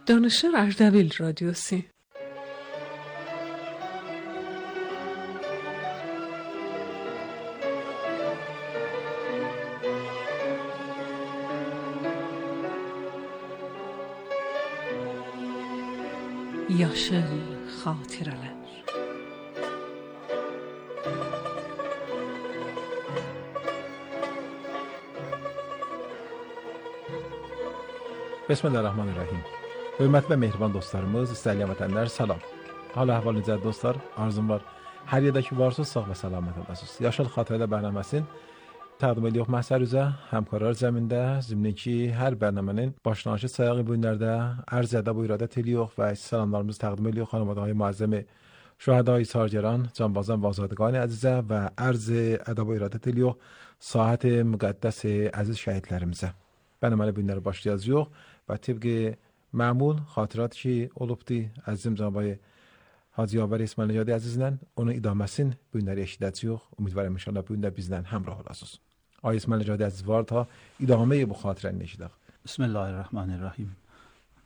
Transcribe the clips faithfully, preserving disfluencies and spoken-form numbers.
Danışır Ardabil Radyosu. Yaşıl xatirələr. Bismillahirrahmanirrahim. Hörmətli və mehriban dostlarımız, istəyilən vətənlər, salam. Hal-əhval necədir dostlar? Arzum var. Hər yerdə ki varsınız, sağ və salamat olasınız. Yaşıl xatirələr bərnaməsinin təqdim edirik məhsər üzə, həmkarlar zəmində, zimni ki, hər bərnamənin başlanışı sayağı bu günlərdə ərz ədəb və irədət edirik və salamlarımızı təqdim edirik xanımadahay müəzzəmi şühədai sargeran, canbazan və azadqani əzizə və ərz ədəb və irədət edirik sahət müqəddəs əziz şəhidlərimizə. Bərnaməli bu günləri başlayacağıq və tibqi məmul xatirət ki olubdu əzizim cənabay Hacı Yavər İsmail Nəcadi əzizlə onun idaməsin bu günləri eşidəcəyik. Ümidvarım inşallah bu gündə bizlə həmrah olasınız. Ay İsmail Nəcadi əziz var ta idaməyi bu xatirəni eşidək. Bismillahirrahmanirrahim.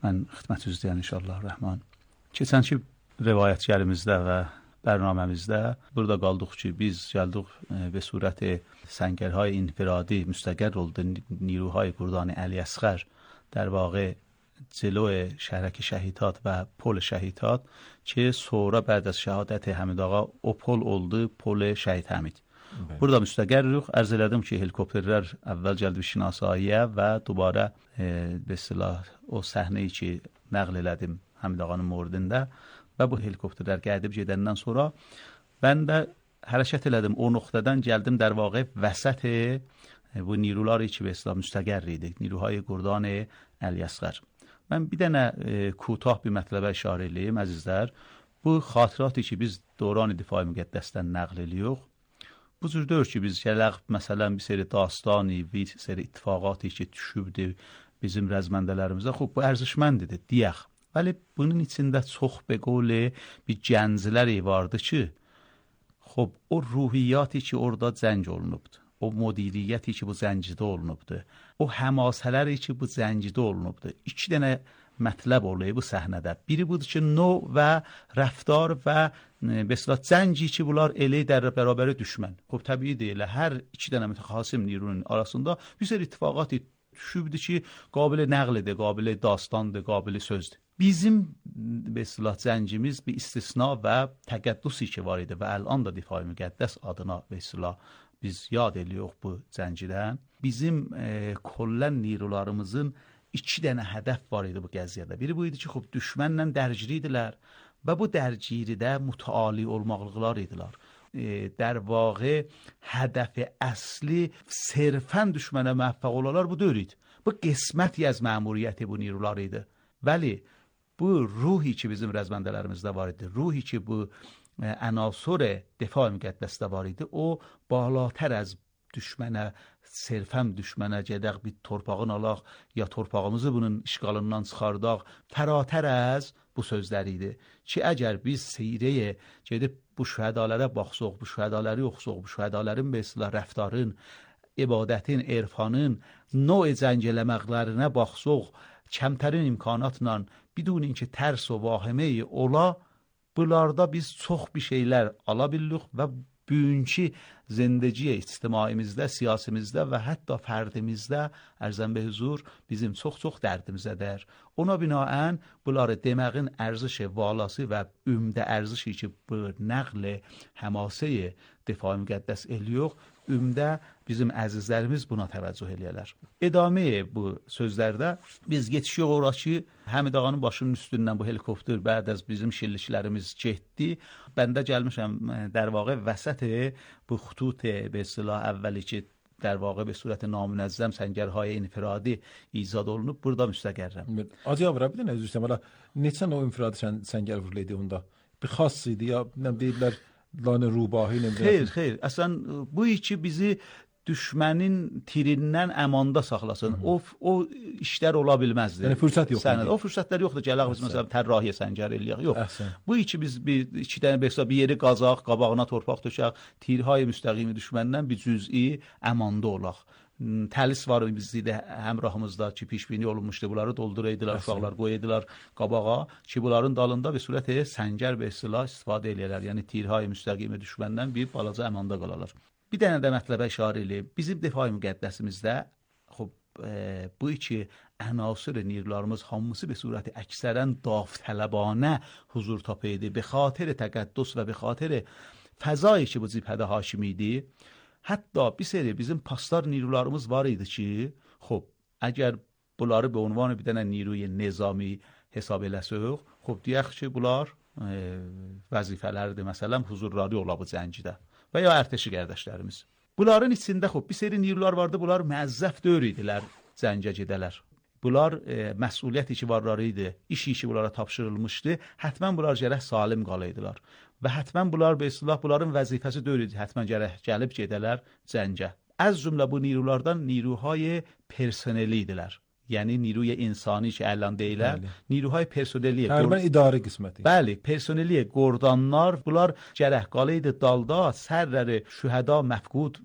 Mən xidmət üzrəyəm inşallah rəhman. Keçənki rivayətlərimizdə və bərnaməmizdə burada qaldıq ki, biz gəldik به صورت سنگرهای انفرادی مستقر oldu نیروهای گردان علی اصغر در واقع جلو شهرک شهیدات و پل شهیدات که sonra بعد از شهادت حمید آقا o pol oldu pol şəhid Həmid. Burada müstəqərrik. Ərz elədim ki, helikopterlər əvvəl gəldi şinasaiyə və dubara e, به اصطلاح o səhneyi ki nəql elədim Həmid ağanın mordində və bu helikopterlər gəlib gedəndən sonra mən də hərəkət elədim. O nöqtədən gəldim در واقع وسط bu نیروları ki به اصطلاح müstəqər idi. نیروهای گردان علی اصغر. Mən bir dənə e, کوتاه bir mətləbə işarə edeyim əzizlər. Bu xatirəti ki biz dövran difai müqəddəsdən nəql edirik. Bu cür deyil ki biz gələk məsələn bir seri dastani, bir seri ittifaqatı ki düşübdü bizim rəzməndələrimizə. Xub bu ərزişməndidir deyək. Vəli bunun içində çox به قول bir gəncləri vardı ki خب o ruhiyyatı ki orada zəng olunubdu. O müdiriyyəti ki bu zəncidə olunubdu. O həmasələri ki bu zəncidə olunubdu. İki dənə mətləb oluyor bu səhnədə. Biri budur ki növ və rəftar və mesela zənci ki bunlar elə در برابر düşmən. خب təbii deyil. Hər iki dənə mütəxasim nirunun arasında bir sürü ittifaqat düşübdü ki qabil nəqlidir, qabil dastandır, qabil sözdür. Bizim mesela zəncimiz bir istisna və təqəddüsü ki var idi və ələn də difai müqəddəs adına mesela biz yad edirik bu zəncidən. Bizim e, kollən nirularımızın iki dənə hədəf var idi bu qəziyyədə. Biri bu idi ki, xub düşmənlə dərgiri idilər və bu dərgiridə mütəali olmaqlıqlar idilər. E, در واقع هدف اصلی صرفاً düşmənə موفق olalar bu deyil. Bu qisməti az məmuriyyəti bu nirular idi. Vəli bu ruhi ki bizim rəzməndələrimizdə var idi, ruhi ki bu عناصر دفاع müqəddəsdə var idi, o بالاتر از düşmənə, sərfəm düşmənə gedək bir torpağın alaq ya torpağımızı bunun işğalından çıxardaq, fərətər az bu sözlər idi ki, əgər biz seyrəyə gedib bu şühədalərə baxsaq, bu şühədaləri oxusaq, bu şühədalərin be islah rəftarın, ibadətin, erfanın, növ zəng eləməklərinə baxsaq, kəmtərin imkanatla, bidun ki tərs və vahimə ola, bunlarda biz çox bir şeylər ala bilirik və bugünkü zindəciyə ictimaimizdə, siyasimizdə və hətta fərdimizdə ərzən be huzur bizim çox-çox dərdimizədir. Ona binaən bunları deməyin ərziş valası və ümdə ərzişi ki bu nəql həmasəyə difai müqəddəs eləyiyor, ümdə bizim əzizlərimiz buna təvəccüh eləyərlər. İdamə bu sözlərdə biz geçiyor ora ki, Həmid ağanın başının üstündən bu helikopter bəd az bizim şilliklərimiz getdi. Bəndə gəlmişəm در واقع وسط bu xutut به اصطلاح اولی ki در واقع به صورت نامنظم سنگرهای انفرادی ایجاد olunub burada müstəqərrəm. Acı abra bir dənə üzr istəyirəm. Neçə o infiradi səngər vuruldu onda? Bir xas idi ya, nə deyirlər, lanə rubahi nə deyirlər. Xeyr, xeyr. Əslən bu iki bizi düşmənin tirindən əmanda saxlasın. Hı -hı. O o işlər ola bilməzdi. Yəni fürsət yoxdur. O fürsətlər yoxdur. Gələk biz məsələn tərrahiyə səngər eləyək. Yox. Əhsən. Bu iki biz bir iki dənə bəsə bir yeri qazaq, qabağına torpaq tökək, tirhay müstəqimi düşməndən bir cüz'i əmanda olaq. təlis var idi həmrahımızda ki, pişbini olunmuşdu. Bunları dolduraydılar, uşaqlar qoyaydılar qabağa ki, bunların dalında bir surət səngər və silah istifadə edirlər. Yəni tirhay müstəqimi düşməndən bir balaca əmanda qalarlar. Bir dənə də mətləbə işarə eləyib. Bizim Difai Müqəddəsimizdə xub e, bu iki عناصر نیروlarımız hamısı به صورت اکثرا داوطلبانه huzur tapıydı. به خاطر تقدس و به خاطر فضایی ki bu cibhədə hakim idi. Hətta bir seri bizim pastar نیروlarımız var idi ki, xub əgər bunları به عنوان bir dənə نیروی نظامی hesab eləsək, xub deyək ki, bunlar e, vəzifələrdir. Məsələn, huzurları ola bu cəngidə və ya ərtəşi qardaşlarımız. Bunların içində xub bir seri نیروlar vardı. Bunlar müəzzəf döyür idilər cəngə gedələr. Bunlar e, məsuliyyət ki varları idi, iş işi bunlara tapşırılmışdı. Hətmən bunlar gərək salim qalaydılar. Və hətmən bunlar be istilah bunların vəzifəsi deyil idi. Hətmən gərək gəlib gedələr cəngə. Az cümlə bu نیروlardan نیروهای personeli idilər. Yəni نیروی insani ki əlan deyilər, نیروهای personeli. Təqribən idarə qisməti. Bəli, personeli, qordanlar, bunlar gərək qalaydı dalda, sərləri, şühəda, məfqud,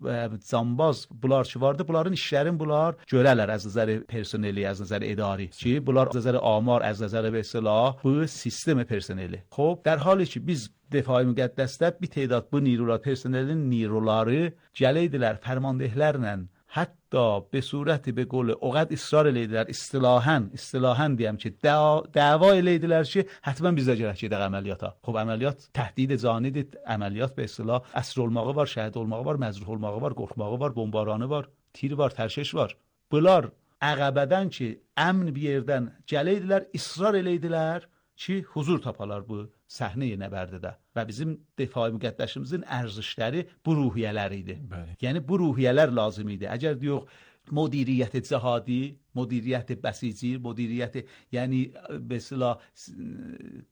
cambaz, bunlar ki vardı, bunların işlərin bunlar görələr az nəzəri personeli, az nəzəri idari ki, bunlar az nəzəri amar, az nəzəri və silah, bu sistem personeli. Xob, در حالی ki biz Difai Müqəddəsdə bir tədad bu نیروlar, personelin نیروları gəliydilər fərmandehlərlə, hətta به صورت به قول اوقات اصرار eləydilər, istilahan, istilahan deyəm ki, dava eləydilər ki, həttəmən bizə gərək gedək əməliyyata. Xob, əməliyyat təhdid canidir, əməliyyat به istilah əsr olmağı var, şəhid olmağı var, məzruh olmağı var, qorxmağı var, bombaranı var, tir var, tərşiş var. Bunlar əqəbədən ki, əmn bir yerdən gəliydilər, israr eləydilər ki, huzur tapalar bu səhnə-i nəbərdidə. Və bizim Difai Müqəddəsimizin ərzişləri bu ruhiyyələr idi. Bəli. Yəni bu ruhiyyələr lazım idi. Əgər deyox, مدیریت جهادی، مدیریت بسیجی، مدیریت یعنی به اصطلاح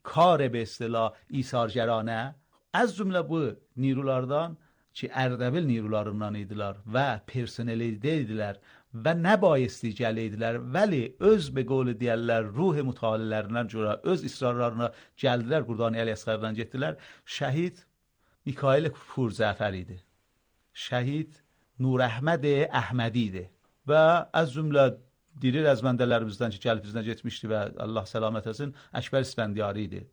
کار به اصطلاح ایثارگرانه از جمله bu نیروlardan ki Ərdəbil نیروlarından idilər və personeli idilər və nə bayisli gəliydilər, vəli öz be qolu deyərlər, ruh mütalilərindən görə öz israrlarına gəldilər, Qurdani Əli Əsqərdən getdilər. Şəhid Mikail Purzəfər idi. Şəhid Nur Əhməd Əhmədi idi. Və az cümlə diri rəzməndələrimizdən ki, gəlib bizdən getmişdi və Allah səlamət etsin, Əkbər İsfəndiyari idi.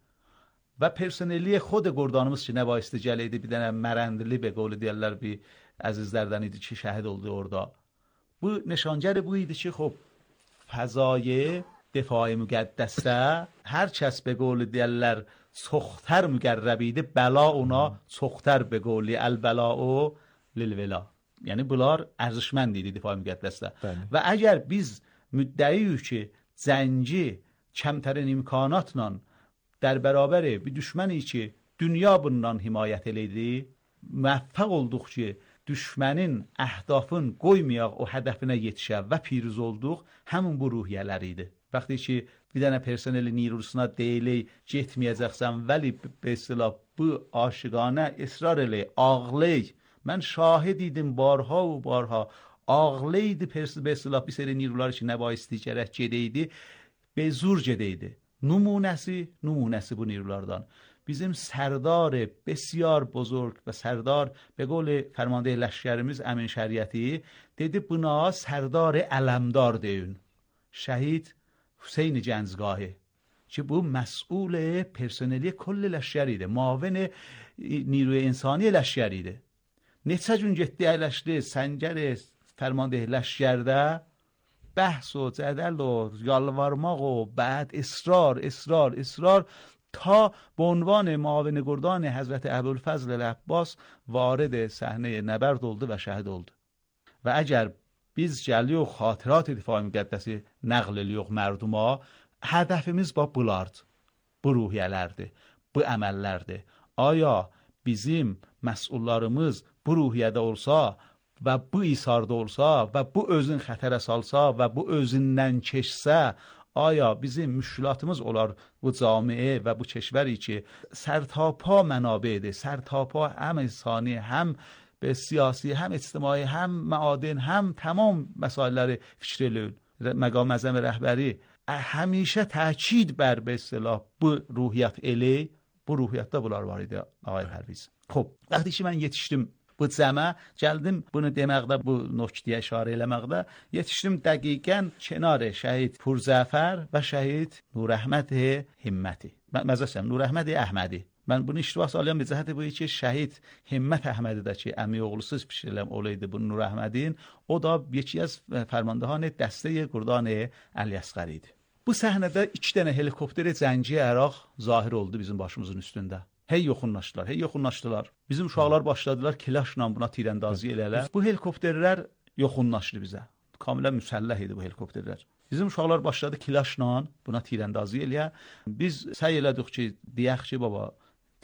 Və personeli xod Qurdanımız ki, nə bayisli gəliydi, bir dənə mərəndili be qolu deyərlər, bir əzizlərdən idi ki, şəhid oldu orada. Bu nişangər bu idi ki, xub, fəzayı Difai Müqəddəsdə hər kəs be qolu deyərlər, çoxtər müqərrəb idi, bəla ona çoxtər be qolu, əl-bəla o lil-vəla. Yəni bunlar ərzişmənd idi Difai Müqəddəsdə. Bəli. Və əgər biz müddəiyik ki, zəngi kəmtərin imkanatla در برابر bir düşməni ki, dünya bundan himayət eləydi, müvəffəq olduq ki, düşmənin əhdafın qoymayaq o hədəfinə yetişə və piruz olduq, həmin bu ruhiyyələr idi. Vaxtı ki, bir dənə personeli nirusuna deyilik, getməyəcəksən, vəli besilah bu aşıqanə israr eləyik, ağlayıq. Mən şahid idim barha و barha, ağlaydı besilah bir seri nirular ki, nə bayisli gərək gedəydi, به زور gedəydi. نمونسی نمونسی bu نیروlardan. Bizim sərdar بسیار بزرگ و سردار به قول فرمانده لشکرimiz Əmin Şəriəti dedi buna sərdar ələmdar deyin. Şəhid Hüseyn Gəncgahi ki bu مسئول personeli کل لشکر idi. Muavin نیروی انسانی لشکر idi. Neçə gün getdi əyləşdi səngər فرمانده لشکرdə بحث و جدل و یالوارماق و بعد اصرار اصرار اصرار تا به عنوان معاون گردان حضرت ابوالفضل العباس وارد صحنه نبرد oldu و شهید oldu. و اگر biz gəliyox xatirات Difai Müqəddəsi nəql ediyox mərduma, hədəfimiz bu bulardı. Bu ruhiyyələrdir, bu əməllərdir. Aya bizim məsullarımız bu ruhiyyədə olsa və bu isarda olsa və bu özün xətərə salsa və bu özündən keçsə, aya bizim müşkilatımız olar bu camiə və bu keşvəri ki, sərtapa mənabeydir, sərtapa həm insani, həm به siyasi, həm ictimai, həm məadin, həm tamam məsələləri fikr eləyir. Məqam əzəm rəhbəri həmişə təkid bər به اصطلاح bu ruhiyyət elə, bu ruhiyyətdə bunlar var idi, ağay Pərviz. Xoş, vaxtı ki mən yetişdim Bu cəmə gəldim bunu deməkdə, bu nöqtəyə işarə eləməkdə yetişdim dəqiqən kənar şəhid Purzəfər və şəhid Nurəhməd Himməti. Məzəsən Nurəhməd Əhmədi. Mən bunu iştibah salıyorum bir cəhəti bu ki, şəhid Himmət Əhmədi də ki, əmi oğlusuz pişiriləm olaydı bu Nurəhmədin, o da yeki az fərmandahan dəstəyi Qurdan Əl-Əsqəri idi. Bu səhnədə iki dənə helikopteri cəngi əraq zahir oldu bizim başımızın üstündə. Hey yoxunlaşdılar, hey yoxunlaşdılar. Bizim uşaqlar başladılar kilaşla buna tirəndazı elələr. Bu helikopterlər yoxunlaşdı bizə. Kamilən müsəlləh idi bu helikopterlər. Bizim uşaqlar başladı kilaşla buna tirəndazı eləyə. Biz səy elədik ki, deyək ki, baba,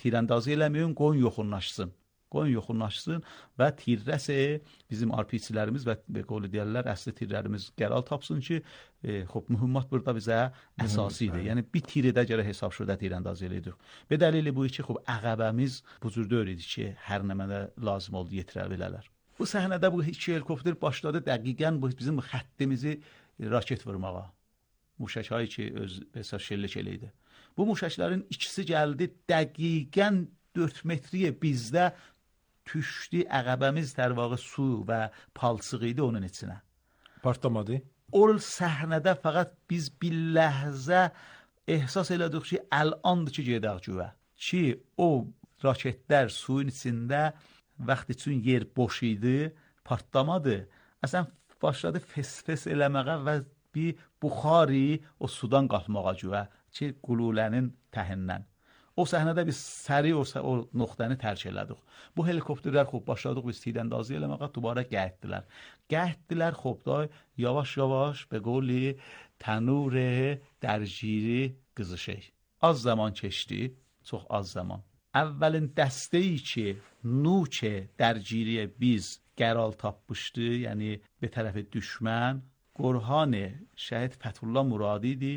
tirəndazı eləməyin, qoyun yoxunlaşsın. Qoyun yoxunlaşsın və tirrəsə bizim R P C'lərimiz və qolu deyərlər, əsli tirlərimiz qəral tapsın ki, e, xop, mühümmat burada bizə əsası idi. Yəni, bir tirədə görə hesab şurada tirəndaz eləyidik. Be dəlili bu ki, xop, əqəbəmiz bu cürdə idi ki, hər nəmədə lazım oldu yetirər belələr. Bu səhnədə bu iki helikopter başladı dəqiqən bu bizim xəttimizi raket vurmağa. Muşəkayı ki, öz əsas şəllik eləydi. Bu muşəklərin ikisi gəldi dəqiqən dörd metriyə bizdə düşdü, əqəbəmiz در واقع su və palçıq idi onun içinə. Partlamadı. O səhnədə fəqət biz bir ləhzə ehsas elədik ki, əlandır ki, gedək güvə. Ki, o raketlər suyun içində vaxt üçün yer boş idi, partlamadı. Əsən başladı fes-fes eləməyə və bir buxari o sudan qalxmağa güvə ki, qululənin təhindən. O səhnədə biz səri o, o nöqtəni tərk elədik. Bu helikopterlər xop başladıq biz tirəndazı eləməyə, dubara gəhdilər. Gəhdilər xop da yavaş-yavaş به قولی تنور درگیری qızışır. Az zaman keçdi, çox az zaman. Əvvəlin dəstəyi ki, nuç dərgiriyə biz qəral tapmışdı, yəni bir tərəfi düşmən, Qorhan şəhid Fətullah Muradi idi,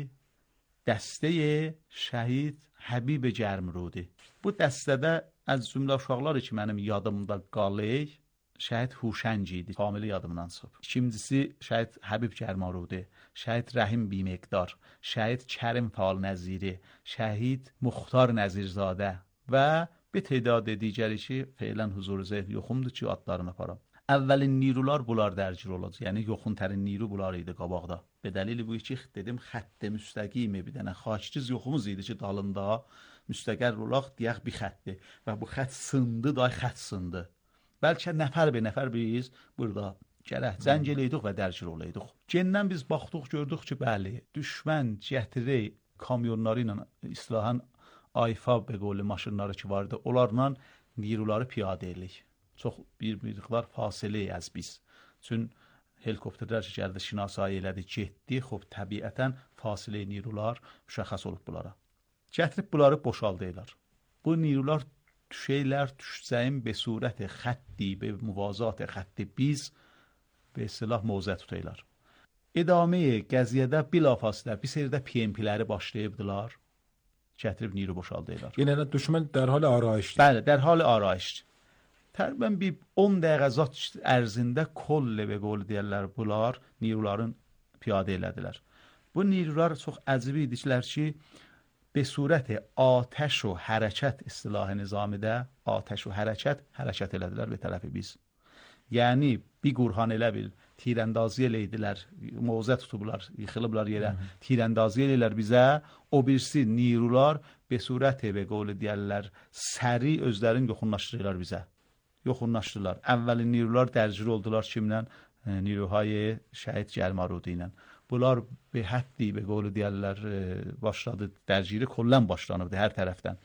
dəstəyi şəhid Həbib Gərmrudi. Bu dəstədə az cümlə uşaqlar ki, mənim yadımda qalır, şəhid Huşəng idi, kamili yadımdan çıxıb. İkincisi şəhid Həbib Gərmrudi, şəhid Rəhim Bimeqdar, şəhid Kərim Fal Nəziri, şəhid Muxtar Nəzirzadə və bir tədaad digəri ki, feylən huzur zəhn yoxumdur ki, adlarını aparam. Əvvəlin nirular bunlar dərgir olacaq. Yəni yoxun tərin niru bunlar idi qabaqda. Be dəlili bu ki, dedim xətt müstəqim bir dənə xaççız yoxumuz idi ki, dalında müstəqər olaq deyək bir xəttdir və bu xətt sındı, day xətt sındı. Bəlkə nəfər be nəfər biz burada gərək zəng eləydik və dərgir olaydık. Gendən biz baxdıq, gördük ki, bəli, düşmən gətirir kamyonları ilə istilahan ayfa be qolu maşınları ki vardı, onlarla niruları piyadə elədik. Çox bir miqdar fasilə az biz. Çün helikopterlər gəldi, şinasayı elədi, getdi, xop təbiətən fasilə nirular müşəxəs olub bunlara. Gətirib bunları boşaldırlar. Bu nirular düşəylər, düşəcəyin be surət xətti, be muvazat xətti biz be silah mövzə tutaylar. İdamə qəziyyədə bilafasilə bir sərdə P M P'ləri başlayıbdılar. Gətirib niru boşaldırlar. Yəni düşmən dərhal arayışdır. Bəli, dərhal arayışdır. Təqribən bir on dəqiqə zat ərzində kollə və qolu deyərlər bunlar niruların piyadə elədilər. Bu nirular çox əcib idilər ki, be surət atəş və hərəkət istilahı nizamidə atəş və hərəkət hərəkət elədilər bir tərəfi biz. Yəni bir qurhan elə bil tirəndazı eləydilər, mövzə tutublar, yıxılıblar yerə, tirəndazı eləyirlər bizə, o birisi nirular be surət və qolu deyərlər səri özlərini yoxunlaşdırırlar bizə. Yoxunlaşdılar. Əvvəlin nirular dərgir oldular kimlə? Niruhay şəhid Gərmrudi ilə. Bunlar be həddi be qolu deyərlər başladı, dərgiri kollən başlanırdı hər tərəfdən.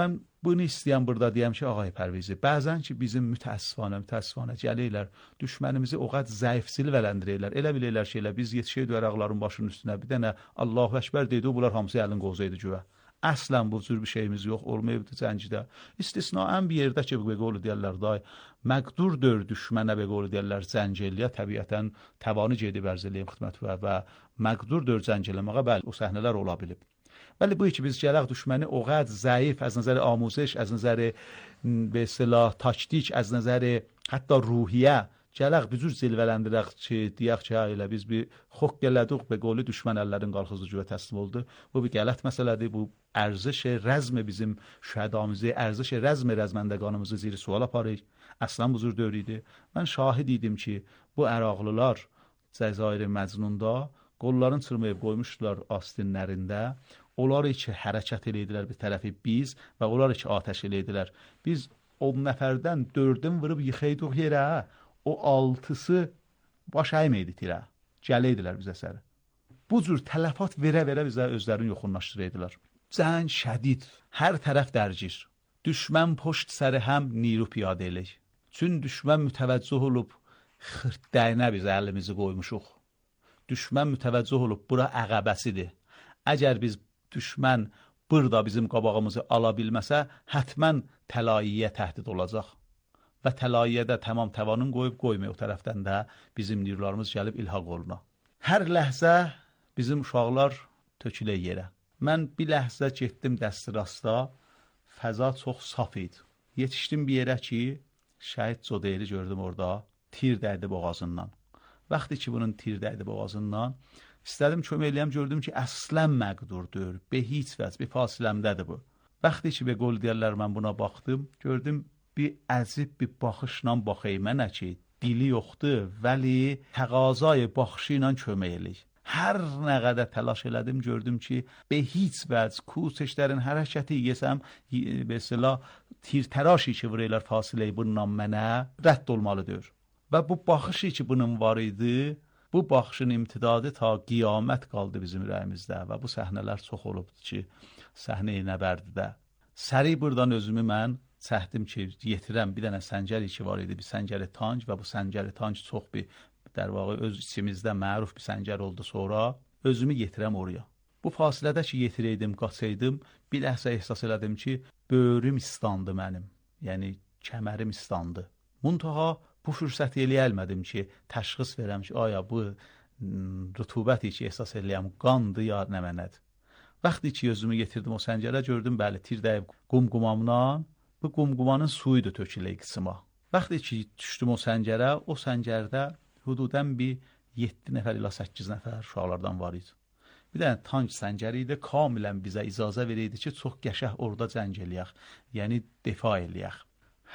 Mən bunu istəyəm burada deyəm ki, ağay Pərvizi, bəzən ki bizim mütəəssifanə, mütəəssifanə gəlirlər, düşmənimizi o qədər zəif silvələndirirlər. Elə bilirlər ki, elə biz yetişəydik əraqların başının üstünə bir dənə Allahu Əkbər deydi, bunlar hamısı əlin qozuydu güvə. Əslən bu cür bir şeyimiz yox, olmayıbdı cəngdə. İstisnaən bir yerdə ki, be qolu deyərlər, day, məqdurdur düşmənə be qolu deyərlər, zəng eləyə, təbiətən təvanı gedib ərz eləyəm xidmət və, və məqdurdur zəng eləməyə, bəli, o səhnələr ola bilib. Bəli, bu ki, biz gələk düşməni o qədər zəif, az nəzəri amuzش, az nəzəri be silah taktik, az nəzəri hətta ruhiyyə Gələk bir cür zilvələndirək ki, deyək ki, elə biz bir xoq gələdik be qolu düşmən əllərin qalxızı cüvə təslim oldu. Bu bir qələt məsələdir. Bu ارزش رزم bizim şəhədamızı, ارزش رزم rəzməndəqanımızı zir sual aparır. Əslən bu cür dövr idi. Mən şahid idim ki, bu Əraqlılar Cəzair Məcnunda qolların çırmayıb qoymuşdular astinlərində. Onlar ki, hərəkət eləydilər bir tərəfi biz və onlar ki, atəş eləydilər. Biz on nəfərdən dördün vurub yıxaydıq yerə, o altısı baş əyməydi tirə. Gələydilər bizə səri. Bu cür tələfat verə-verə bizə özlərini yoxunlaşdıraydılar. Cəng şədid, hər tərəf dərgir. Düşmən poşt səri həm niru piyadə elək. Çün düşmən mütəvəccüh olub, xırtdəyinə biz əlimizi qoymuşuq. Düşmən mütəvəccüh olub, bura əqəbəsidir. Əgər biz düşmən burada bizim qabağımızı ala bilməsə, hətmən təlaiyə təhdid olacaq. Və təlaiyədə tamam təvanın qoyub qoymuyor o tərəfdən də bizim nirularımız gəlib ilhaq oluna. Hər ləhzə bizim uşaqlar tökülə yerə. Mən bir ləhzə getdim dəstirasta, fəza çox saf idi. Yetişdim bir yerə ki, şəhid Codeyri gördüm orada, tir dəydi boğazından. Vaxtı ki, bunun tir dəydi boğazından, istədim kömək eləyəm, gördüm ki, əslən məqdurdur, be heç vəz, bir fasiləmdədir bu. Vaxtı ki, be qol deyərlər, mən buna baxdım, gördüm, bir əzib bir baxışla baxayım mənə ki, dili yoxdur, vəli təqazay baxışı ilə kömək eləyik. Hər nə qədər təlaş elədim, gördüm ki, be heç vəz kuseşlərin hərəkəti yesəm, mesela tirtəraşi ki, vuraylar fasiləyi bundan mənə rədd olmalıdır. Və bu baxışı ki, bunun var idi, bu baxışın imtidadı ta qiyamət qaldı bizim ürəyimizdə və bu səhnələr çox olubdur ki, səhnə-i nəbərdidə. Səri buradan özümü mən çəkdim ki, yetirəm bir dənə səncəri ki, var idi, bir səncəri tanc və bu səncəri tanc çox bir در واقع öz içimizdə məruf bir səncər oldu sonra, özümü yetirəm oraya. Bu fasilədə ki, yetirəydim, qaçaydım, bir ləhzə ehsas elədim ki, böyrüm istandı mənim, yəni kəmərim istandı. Muntaha bu fürsəti eləyə bilmədim ki, təşxis verəm ki, aya bu rütubəti ki, ehsas eləyəm, qandı ya nə mənədir. Vaxtı ki, özümü yetirdim o səncərə, gördüm, bəli, tir dəyib qumqumamdan, bu qumqumanın suyudur töküləy qısıma. Vaxtı ki, düşdüm o səncərə, o səncərdə hududən bir yeddi nəfər ilə səkkiz nəfər uşaqlardan var idi. Bir dənə tank səncəri idi, kamilən bizə icazə verirdi ki, çox qəşəh orada cəng eləyək, yəni defa eləyək.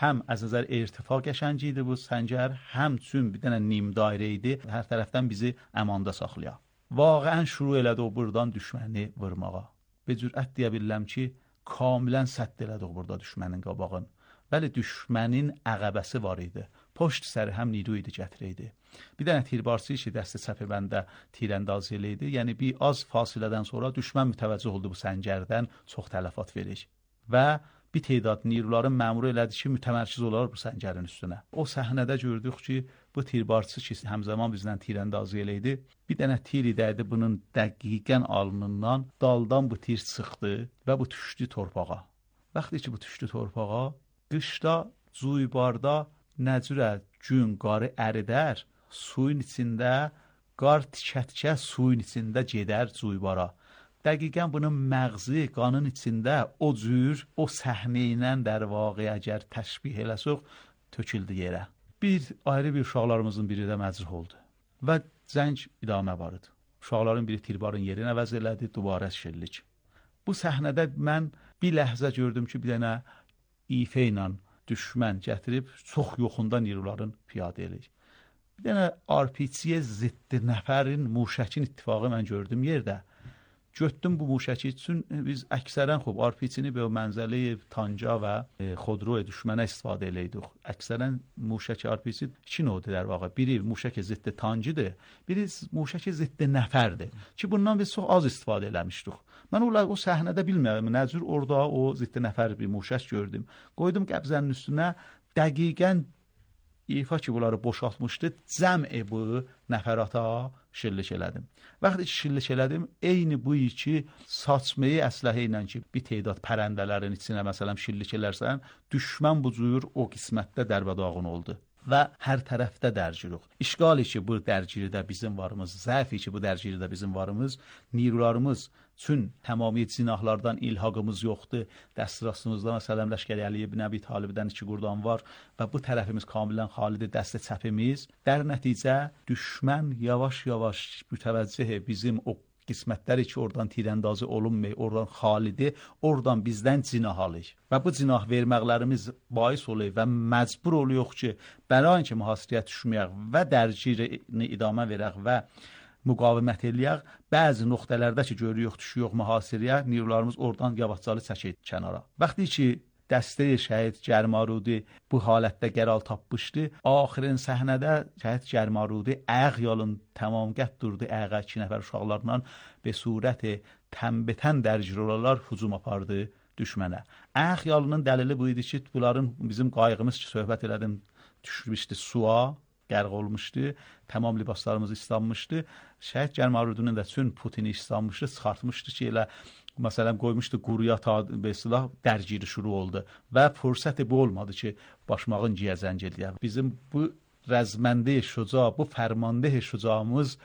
Həm az nəzər irtifa qəşəngi idi bu səncər, həm çün bir dənə nim dairə idi, hər tərəfdən bizi əmanda saxlayaq. Vaqəən şuru elədi o buradan düşməni vurmağa. Bir cürət deyə bilirəm ki, kamilən sədd elədi o burada düşmənin qabağın. Bəli, düşmənin əqəbəsi var idi. Poşt səri həm niru idi, gətirəydi. Bir dənə tirbarçı ki, dəstə çəpi bəndə tirəndaz eləydi. Yəni, bir az fasilədən sonra düşmən mütəvəccüh oldu bu səncərdən, çox tələfat verir. Və bir teydad niruların məmuru elədi ki, mütəmərkiz olar bu səncərin üstünə. O səhnədə gördük ki, bu tirbarçı ki, həmzəman bizdən tirəndaz eləydi. Bir dənə tir idəydi bunun dəqiqən alnından, daldan bu tir çıxdı və bu düşdü torpağa. Vaxtı ki, bu düşdü torpağa, qışda, cuybarda nəcürə gün qarı əridər, suyun içində, qar tikə-tikə suyun içində gedər cuybara. Dəqiqən bunun məğzi, qanın içində o cür, o səhnə ilə در واقع əgər təşbih eləsək, töküldü yerə. Bir ayrı bir uşaqlarımızın biri də məcruh oldu və cəng idamə vardı. Uşaqların biri tirbarın yerini əvəz elədi, dubara şillik. Bu səhnədə mən bir ləhzə gördüm ki, bir dənə ifə ilə düşmən gətirib çox yoxunda niruların piyadə eləyir. Bir dənə R P G-yə ziddi nəfərin muşəkin ittifaqı mən gördüm yerdə. Götdüm bu muşəki üçün biz əksərən xub R P G-ni belə mənzəli tanca və xodroya düşmənə istifadə eləydik. Əksərən muşəki R P G iki növdür در واقع. Biri muşəki ziddi tancıdır, biri muşəki ziddi nəfərdir. Ki bundan biz çox az istifadə eləmişdik. Mən o, o səhnədə bilmirəm, nə cür orada o ziddi nəfər bir muşək gördüm. Qoydum qəbzənin üstünə, dəqiqən ifa ki, bunları boşaltmışdı, cəm'i bu nəfərata şillik elədim. Vaxtı ki, şillik elədim, eyni bu iki saçmayı əsləhə ilə ki, bir teydad pərəndələrin içinə məsələn şillik elərsən, düşmən bu cür o qismətdə dərbədağın oldu. və hər tərəfdə dərcirik. İşğali ki, bu dərgiridə bizim varımız, zəfi ki, bu dərgiridə bizim varımız, nirlarımız üçün tamamiyyət zinahlardan ilhaqımız yoxdur. Dəstrasımızda məsələn Ləşkəri Əli ibn Əbi Talibdən iki qurdan var və bu tərəfimiz kamilən xalidir, dəstə çəpimiz. Dər nəticə düşmən yavaş-yavaş mütəvəccih bizim o qismətləri ki, oradan tirəndazı olunmay, oradan xalidi, oradan bizdən cinah alır. Və bu cinah verməklərimiz bais olur və məcbur oluyor ki, bəlain ki, mühasirəyə düşməyək və dərgirini idamə verək və müqavimət eləyək. Bəzi nöqtələrdə ki, görürük, düşüyor mühasirəyə, nirlarımız oradan yavaşcalı çəkir kənara. Vaxtı ki, dəstə şəhid Gərmarudi bu halətdə qərar tapmışdı. Axirin səhnədə şəhid Gərmarudi ayaq yolun tamam qət durdu. Ayağa iki nəfər uşaqlarla be surət tənbətən dərgir olarlar hücum apardı düşmənə. Ayaq yolunun dəlili bu idi ki, bunların bizim qayğımız ki, söhbət elədim, düşmüşdü suya, qərq olmuşdu. Tamam libaslarımız islanmışdı. Şəhid Gərmarudinin də çün Putini islanmışdı, çıxartmışdı ki, elə məsələn qoymuşdu quruya ta be silah dərgiri şuru oldu və fürsəti bu olmadı ki, başmağın giyə zəng eləyək. Bizim bu rəzməndə şüca, bu fərmanda şücamız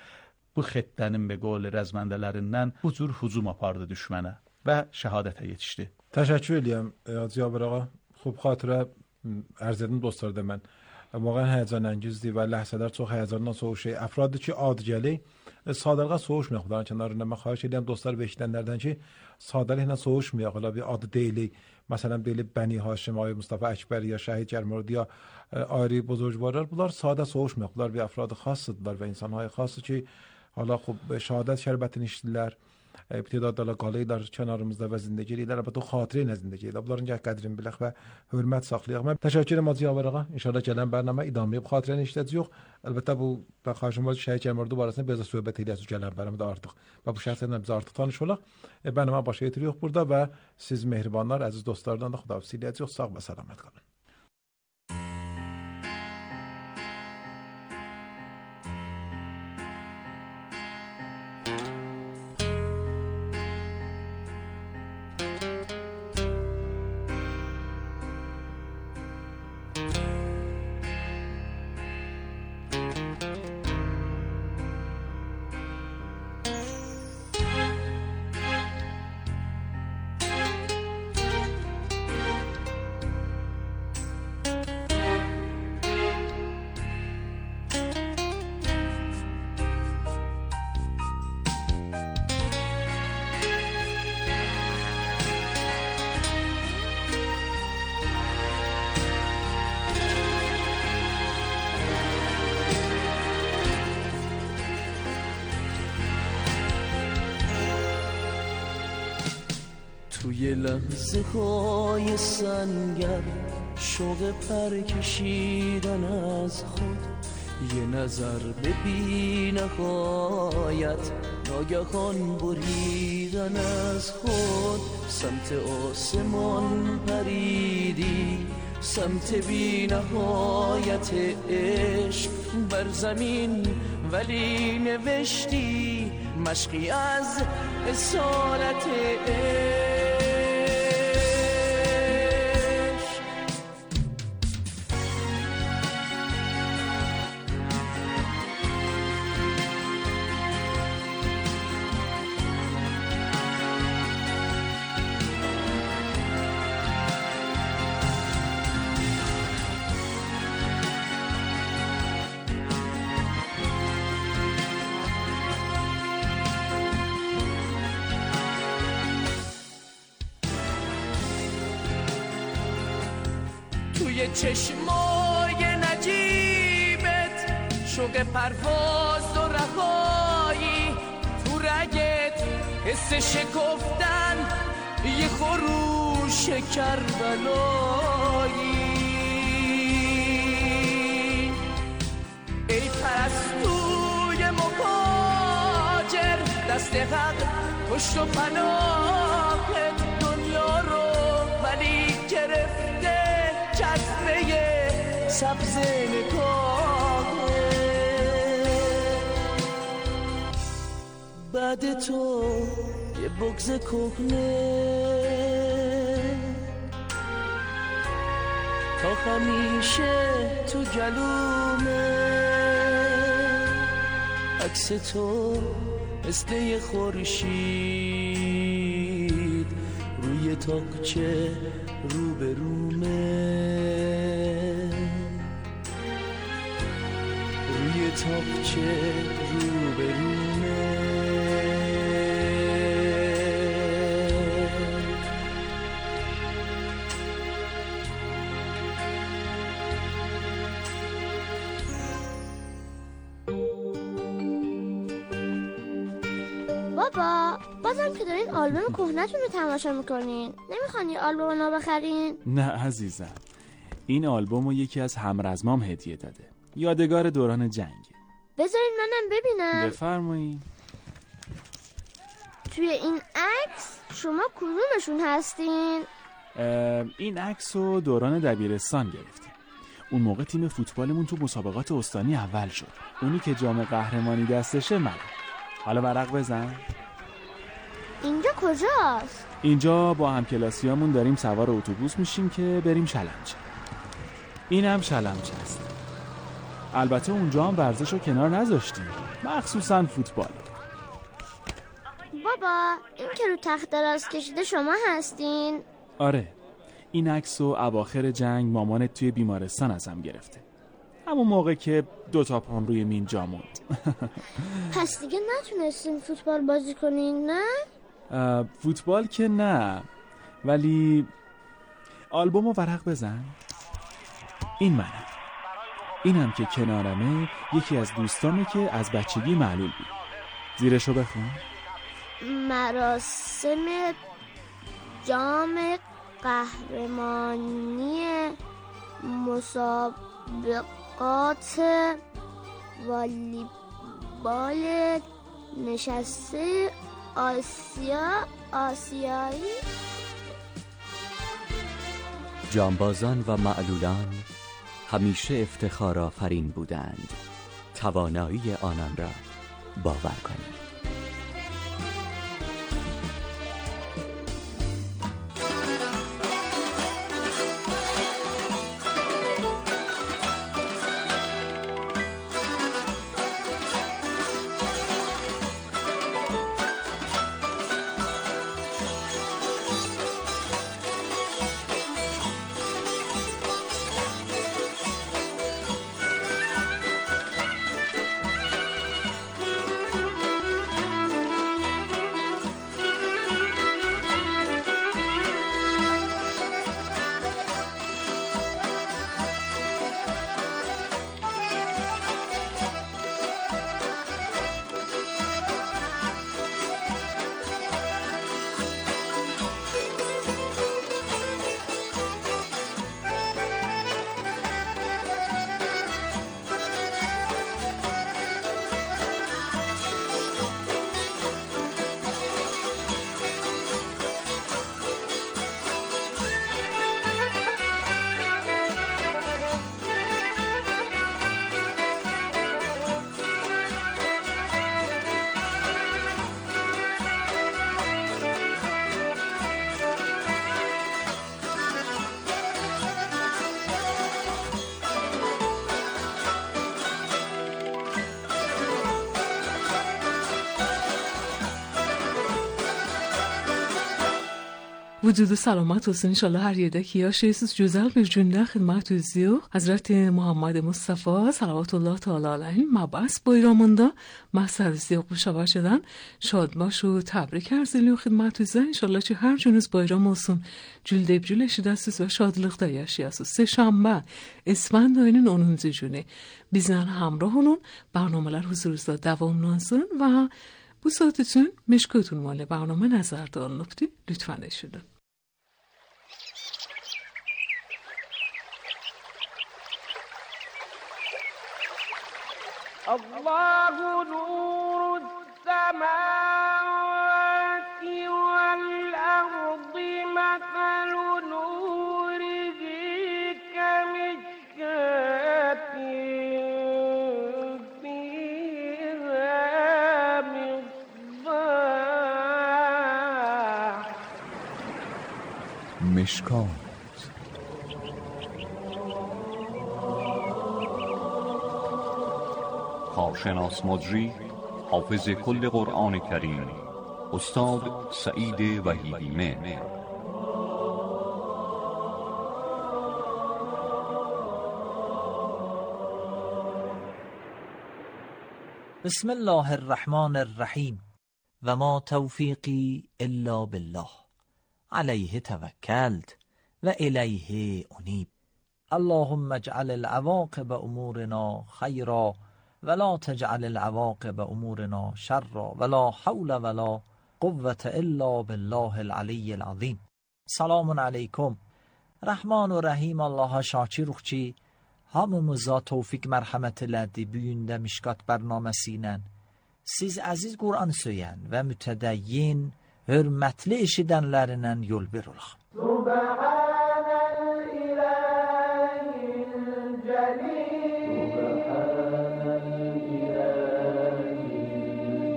bu xəttənin be qol rəzməndələrindən bu cür hücum apardı düşmənə və şəhadətə yetişdi. Təşəkkür edirəm Hacı Cabir ağa. Xub xatirə ərz edim dostlar da mən. واقعا هیجان انگیزی و لحظه‌دار تو هیجانdan soğuk şey. افرادی ki adgəli sadəlqə soğuşmayaq bunların kənarında. Mən xahiş edirəm dostlar və eşidənlərdən ki, sadəliklə soğuşmayaq. Ola bir adı deyilik. Məsələn deyilib Bəni Haşim, Ay Mustafa Əkbər ya Şəhid Gərmarudi ya ayrı buzurgvarlar. Bunlar sadə soğuşmayaq. Bunlar bir afradı xassıdırlar və insanlar xası ki, hala xub şəhadət şərbətini içdilər. İbtidada qalıylar kənarımızda və zindəgi eləyirlər. Əlbəttə o xatirə ilə zindəgi eləyirlər. Bunların gəh qədrini bilək və hörmət saxlayaq. Mən təşəkkür edirəm Hacı Cabir ağa. İnşallah gələn bərnamə idamə bu xatirəni işlədəcəyik. Əlbəttə bu da xahişim var ki, Şəhid Gərmarudi barəsində biraz söhbət eləyəcəyik gələn bərnamədə artıq. Və bu şəxslərlə biz artıq tanış olaq. E, bərnamə başa yetiririk burada və siz mehribanlar, əziz dostlardan da xudahafizlik edəcəyik. Sağ və salamat qalın. توی لحظه های سنگر شوق پر کشیدن از خود یه نظر به بی نهایت ناگهان بریدن از خود سمت آسمان پریدی سمت بی نهایت عشق بر زمین ولی نوشتی مشقی از اصالت عشق توی چشمای نجیبت شوق پرواز و رهایی تو رگت حس شکفتن یه خروش کربلایی ای پرستوی مهاجر دست حق پشت و پناهت دنیا رو ولی گرفته جذبه سبز نگاهه بعد تو یه بغض کهنه تا همیشه تو گلومه، عکس تو مثل یه خورشید روی تاقچه رو به رومه، روی تاقچه رو به رومه. بابا بازم که دارین آلبوم کهنه‌تون رو تماشا میکنین، نمیخوان یه آلبوم نو بخرین؟ نه عزیزم، این آلبوم رو یکی از همرزمام هدیه داده، یادگار دوران جنگ. بذارین منم ببینم. بفرمایید. توی این عکس شما کدومشون هستین؟ این عکس رو دوران دبیرستان گرفتیم. اون موقع تیم فوتبالمون تو مسابقات استانی اول شد. اونی که جام قهرمانی دستشه من. حالا ورق بزن. اینجا کجاست؟ اینجا با همکلاسیامون داریم سوار اتوبوس میشیم که بریم شلمچه. اینم شلمچه است. البته اونجا هم ورزش رو کنار نذاشتیم، مخصوصا فوتبال. بابا این که رو تخت دراز کشیده شما هستین؟ آره، این عکس رو اواخر جنگ مامانت توی بیمارستان ازم گرفته، همون موقع که دوتا پام روی مین جا موند. پس دیگه نتونستین فوتبال بازی کنین نه؟ فوتبال که نه، ولی آلبوم رو ورق بزن. این منم، اینم که کنارمه یکی از دوستامه که از بچگی معلول بود. زیرشو بخون. مراسم جام قهرمانی مسابقات والیبال نشسته آسیا آسیایی. جانبازان و معلولان همیشه افتخار آفرین بودند. توانایی آنان را باور کنید. وجود سلامت olsun inşallah her yerdeki yaşayısınız. Güzel bir günde xidmətinizdəyik. Hazreti Muhammed Mustafa salavatullah teala aleyhi mabas bayramında mahsərizdik bu şəbəkədən şadbaş و təbrik arz edirik xidmətinizə. İnşallah ki hər gününüz bayram olsun. Güldəbgül eşidəsiniz və şadlıqda yaşayasınız. Səhşənbə اسفند ayının onuncu günü bizlə همراه olun. برنامه‌lər huzurunuzda davamlansın və bu saat üçün Meşkut ünvanlı برنامه nəzərdə alınıbdır. Lütfən eşidin. الله نور السماوات والأرض مثل نوره كمشكاة فيها مصباح مشکات کارشناس مجری، حافظ کل قرآن کریم استاد سعید وحیدی مهر. بسم الله الرحمن الرحیم و ما توفیقی الا بالله علیه توکلت و الیه انیب. اللهم اجعل العواقب امورنا خیرا ولا تجعل العواقب امورنا شرا ولا حول ولا قوة الا بالله العلی العظیم. Selamun aleyküm. Rahman ve Rahim Allah'a şakirukçi, hamımıza tevfik merhamet elədi büyündə Mişkat bərnaməsi ilə. Siz əziz Qur'an söyən və mütədəyyin, hörmətli eşidənlərindən yol bir olaq. Subhanəl ilahil cəlil, Subhanəl ilahil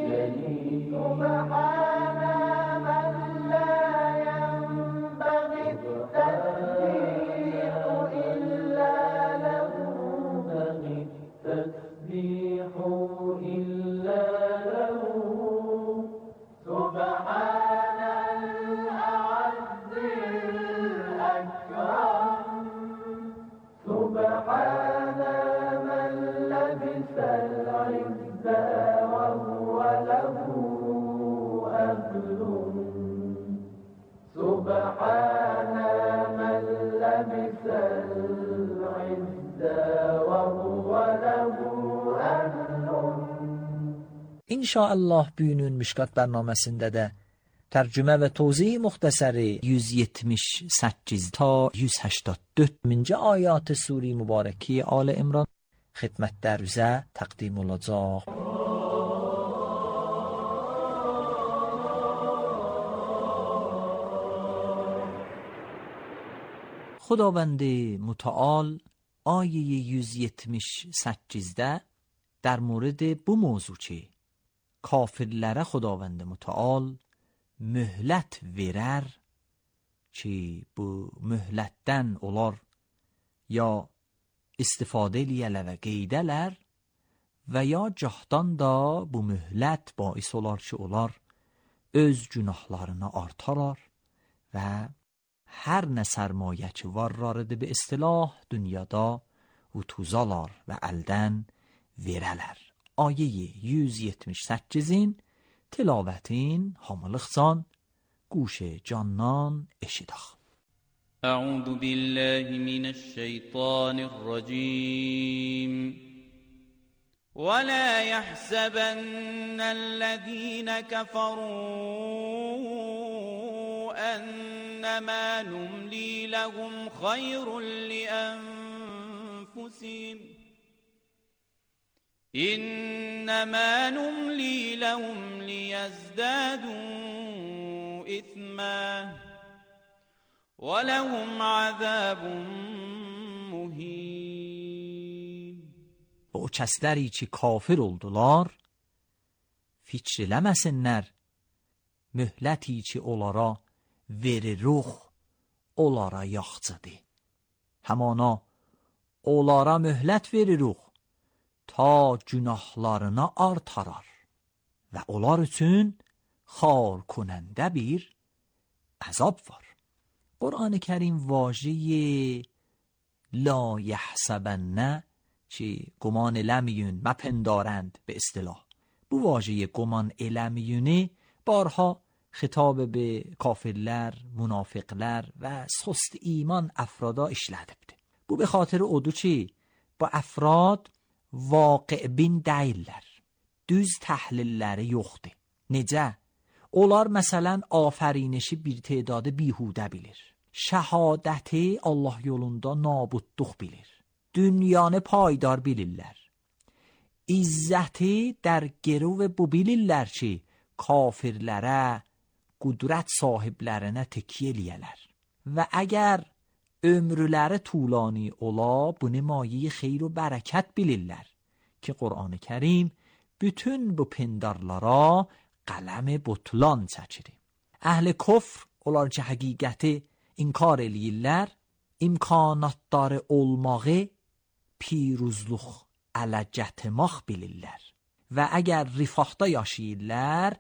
cəlil, Subhanə mən lə yənbəği təsbihu illə ləhu, təsbihu illə ləhu, Subhanəl a'azzil əkram, Subhanə mən ləbisəl izzə və huvə ləhu əhlun, Subhanə mən ləbisəl izzə və huvə ləhu əhlun. İnşallah bugünün Mişkat bərnaməsində də tərcümə və tozih muxtəsəri yüz yetmiş səkkiz ta yüz həştad dörd-cü ayat Sure Mübarəki Ali İmran xidmətlərinizə təqdim olacaq. خداوند متعال آیه yüz yetmiş səkkizdə در مورد bu موضوع kafirlərə Xudavənd Mütəal möhlət verər ki, bu möhlətdən onlar ya istifadə eləyələr və qeydələr və ya cahdan da bu möhlət bais olar ki, onlar öz günahlarını artarar və hər nə sərmayə ki varlarıdır be istilah dünyada utuzalar və əldən verələr. آیه yüz yetmiş səkkizin tilavətin hamılıqsan گوش جانان اشیداخ. اعوذ بالله من الشیطان الرجیم ولا يحسبن الذين كفروا انما نملي لهم خير لانفسهم انما نملي لهم ليزدادوا اثما ولهم عذاب مهین. O kəsləri ki kafir oldular, fikirləməsinlər, möhləti ki onlara veriruq, onlara yaxçıdır. Həmana onlara möhlət veriruq, ta günahlarına artarar və onlar üçün xar konəndə bir əzab var. Qur'an-ı Kərim واژه لا یحسبن چی گمان لمیون مپندارند به اصطلاح، bu واژه گمان لمیونه بارها خطاب به کافرlər, منافقlər və سست ایمان افرادا işlədib. Bu به خاطر odur ki, bu əfrad واقع bin deyirlər. Düz təhlilləri yoxdur. Necə? Onlar məsələn afərinişi bir tedadı bihudə bilir. Şəhadəti Allah yolunda nabudluq bilir. Dünyanı paydar bilirlər. İzzəti در گرو bu bilirlər ki, kafirlərə, qudrət sahiblərinə təkyə eləyələr. Və əgər ömrüləri tulani ola, bunu maye xeyr و bərəkət bilirlər ki, Qur'an-ı Kərim bütün bu pindarlara qələm butlan çəkir. Əhl-i kufr onlar ki, həqiqəti inkar eləyirlər, imkanatları olmağı piruzluq ələcətmaq bilirlər və əgər rifahda yaşayırlar,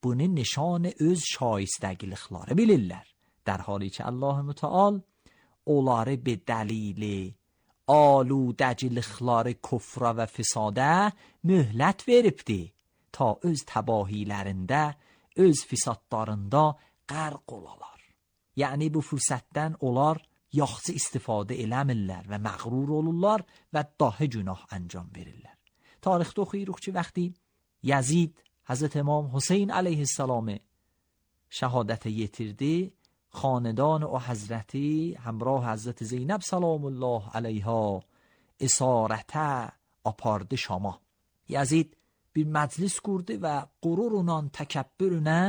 bunu nişan öz şayistəgilikləri bilirlər. در حالی که الله متعال onları به دلیل aludəcilikləri kufra və fisadə möhlət veribdi ta öz təbahilərində, öz fisadlarında qərq olalar. Yəni bu fürsətdən onlar yaxşı istifadə eləmirlər və məğrur olurlar və daha günah انجام verirlər. Tarixdə oxuyuruq ki, vəqti Yazid Hazret امام حسین علیه السلام شهادت yetirdi, خاندان و حضرتی همراه حضرت زینب سلام الله علیها اسارته apardı Şama. Yazid bir məclis qurdu və qururla, təkəbbürlə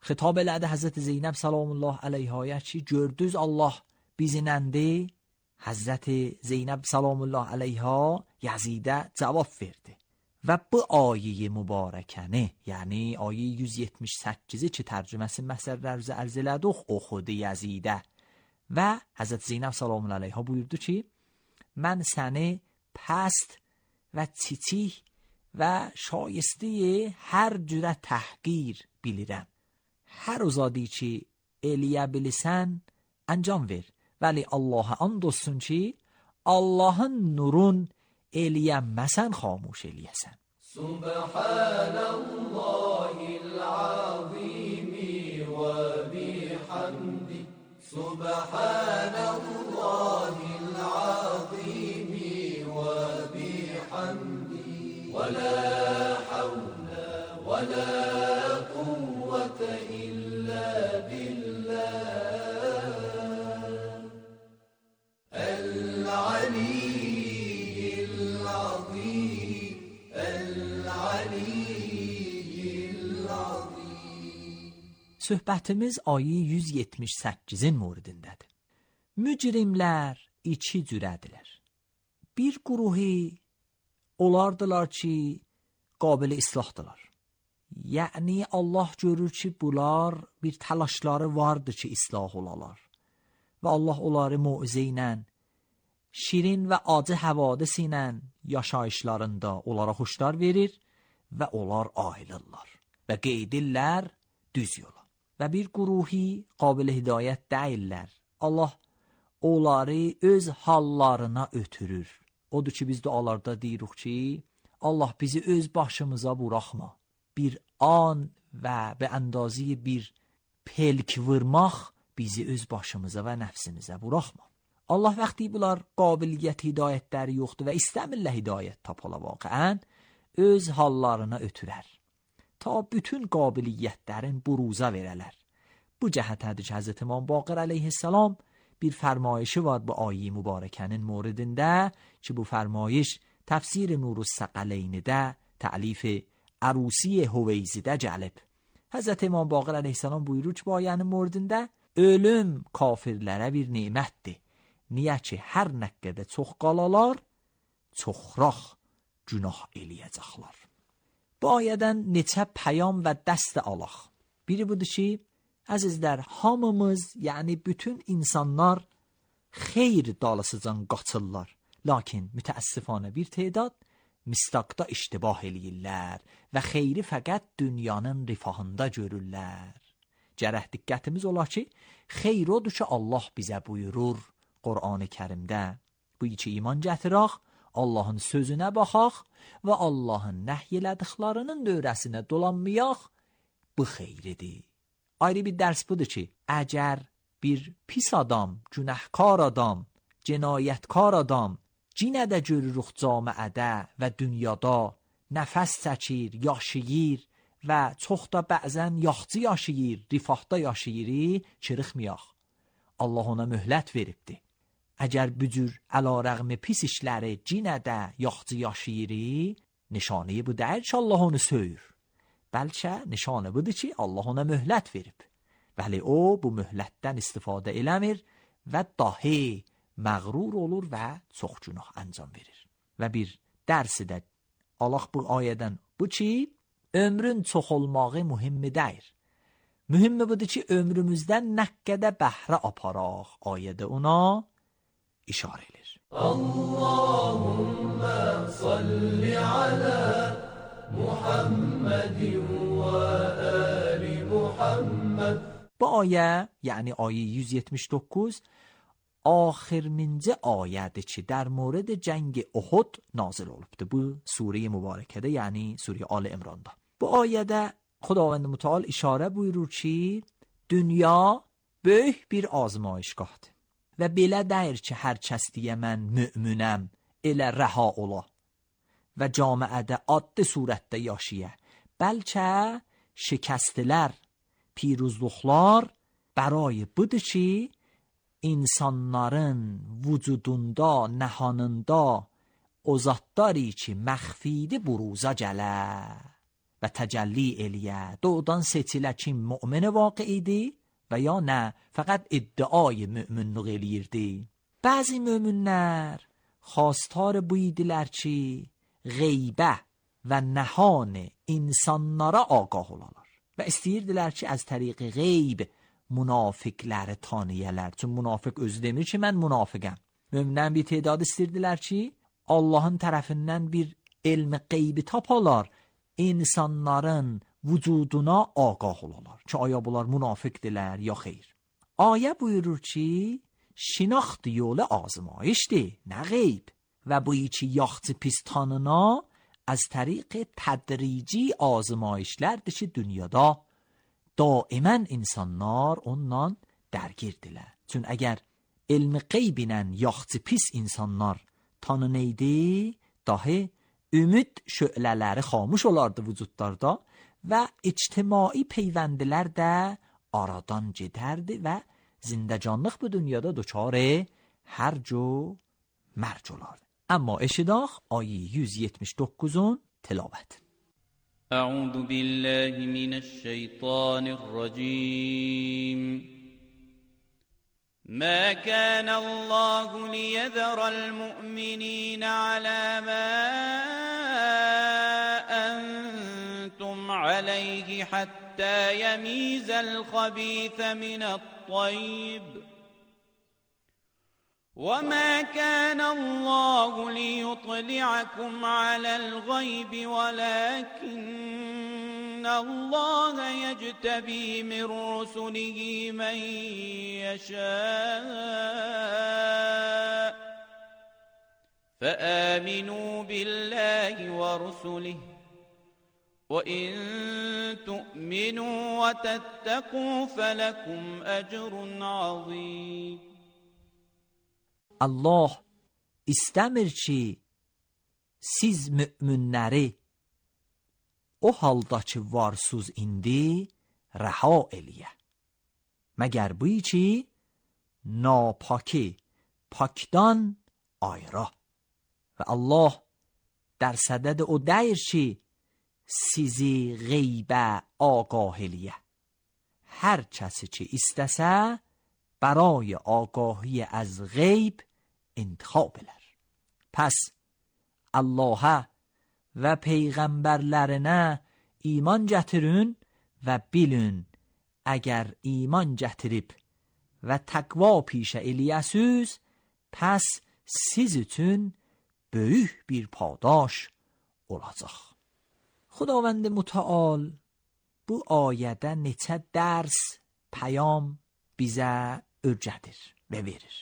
xitab elədi Həzrət Zeynəb salamullah əleyhaya ki, gördünüz Allah bizinəndi. Həzrət Zeynəb salamullah əleyha Yazidə cavab verdi. Və bu ayə mübarəkəni, yəni ayə yüz yetmiş səkkizi ki, tərcüməsi məsələlərimizi ərz elədik, oxudu Yazidə. Və Həzrət Zeynəb salamullah əleyha buyurdu ki, mən səni pəst və çiçik və şایسته hər cürə təhqir bilirəm. Hər uzadی ki, eləyə bilirsən, انجام ver. Vəli Allaha and olsun ki, Allahın nurun eləyəməsən, xamuş eləyəsən. Subhanallahil azimi və bihamdi. Subhanallahil azimi və bihamdi. Və la havla və la quvvete illa billah. Söhbətimiz ayə yüz yetmiş səkkizin moridindədir. Mücrimlər iki cürədirlər. Bir quruhi olardılar ki, qabil islahdılar. Yəni Allah görür ki, bunlar bir təlaşları vardır ki, islah olalar. Və Allah onları muizə ilə, şirin və acı həvadis ilə yaşayışlarında onlara xoşlar verir və onlar ayrılırlar və qeydirlər düz yola. Və bir quruhi qabil hidayət deyirlər. Allah onları öz hallarına ötürür. Odur ki, biz dualarda deyirik ki, Allah bizi öz başımıza buraxma. Bir an və be əndazı bir pelk vurmaq bizi öz başımıza və nəfsimizə buraxma. Allah vəqti bunlar qabiliyyət hidayətləri yoxdur və istəmirlər hidayət tapala vaqiən öz hallarına ötürər. Ta bütün qabiliyyətlərin buruza verələr. Bu cəhətədir ki, Həzrət İmam Baqir əleyhissalam bir fərmayişi var bu ayə mübarəkənin moridində ki, bu fərmayiş təfsir Nurus Səqəleynidə təlif Ərusi Hüveyzidə gəlib. Həzrət İmam Baqir əleyhissalam buyurur ki, bu ayənin moridində ölüm kafirlərə bir nemətdir. Niyə ki, hər nə qədər çox qalalar, çoxraq günah eləyəcəklər. Bu ayədən neçə pəyam və dəst alaq. Biri budur ki, əzizlər, hamımız, yəni bütün insanlar xeyr dalısıcan qaçırlar. Lakin mütəəssifanə bir tedad mistaqda iştibah eləyirlər və xeyri fəqət dünyanın rifahında görürlər. Gərək diqqətimiz olar ki, xeyr odur ki, Allah bizə buyurur Qur'an-ı Kərimdə. Bu iki iman gətirək, Allahın sözünə baxaq və Allahın nəhy elədiklərinin dövrəsinə dolanmayaq, bu xeyridir. Ayrı bir dərs budur ki, əgər bir pis adam, günəhkar adam, cinayətkar adam cinə də görürük camiədə və dünyada nəfəs çəkir, yaşayır və çox da bəzən yaxçı yaşayır, rifahda yaşayır, çırıxmayaq. Allah ona möhlət veribdir. Əgər bu cür əlarəğmi pis işləri cinə də yaxçı yaşayır, nişanəyi bu deyil ki, Allah onu söyür. Bəlkə nişanə budur ki, Allah ona möhlət verib. Vəli o, bu möhlətdən istifadə eləmir və dahi məğrur olur və çox günah anjam verir. Və bir dərsi də Allah bu ayədən bu ki, ömrün çox olmağı mühimmi deyir. Mühimmi budur ki, ömrümüzdən nə qədər bəhrə aparaq. Ayədə ona işarə edir. اللهم صل على محمد و آل محمد. Bu ayə, yəni ayə yüz yetmiş doqquz axirincə ayədir ki, در مورد جنگ احد nazil olubdu. Bu sure mübarəkədə, yəni sure Ali İmranda. Bu ayədə Xudavənd Mütəal işarə buyurur ki, dünya böyük bir azmayışgahdır. Və belə deyir ki, hər kəs deyə mən müminəm, elə rəha ola və camiədə adlı surətdə yaşaya. Bəlkə şikəstlər, piruzluqlar برای budur ki, insanların vücudunda, nəhanında o zatları ki, məxfidi buruza gələ və təcəlli eləyə. Doğudan seçilə kim mümin vaqiidir və ya nə, fəqət iddiای müminlik eləyirdi. Bəzi müminlər xواستار bu idilər ki, qeybə və nəhan insanlara ağah olarlar və istəyirdilər ki, az təriq qeyb münafiqləri tanıyələr. Çün münafiq özü demir ki, mən münafiqəm. Möminlərin bir tedadı istəyirdilər ki, Allahın tərəfindən bir elmi qeybi tapalar, insanların vücuduna ağah olarlar ki, aya bunlar münafiqdirlər ya xeyr. Ayə buyurur ki, şinaxt yolu azmayişdir, nə qeyb. Və bu iki yaxçı pis tanına az təriq tədrici azmayişlərdir ki, dünyada daimən insanlar ondan dərgirdirlər. Çün əgər elmi qeybinə yaxçı pis insanlar tanınaydı, dahi ümid şölələri xamuş olardı vücudlarda və ictimai peyvəndilər də aradan gedərdi və zindəcanlıq bu dünyada duçarı hərc و mərc olardı. Amma eşidaq ayı yüz yetmiş doqquzun tilavət. أعوذ بالله من الشيطان الرجيم. ما كان الله ليذر المؤمنين على ما أنتم عليه حتى يميز الخبيث من الطيب وما كان الله ليطلعكم على الغيب ولكن الله يجتبي من رسله من يشاء فآمنوا بالله ورسله وإن تؤمنوا وتتقوا فلكم أجر عظيم. Allah istəmir ki, siz müminləri o halda ki varsız indi rəha eləyə. Məgər bu ki, napaki pakdan ayra. Və Allah در صدد o deyir ki, sizi qeybə آگاه eləyə. Hər kəsi ki istəsə, برای آگاهی از غیب انتخاب elər. پس Allah'a və peyğəmbərlərinə iman gətirin və bilin, əgər iman gətirib və təqva pişə eləyəsiz, pəs siz üçün böyük bir padaş olacaq. Xudavənd mütəal bu ayədə neçə dərs, pəyam bizə öyrədir və verir.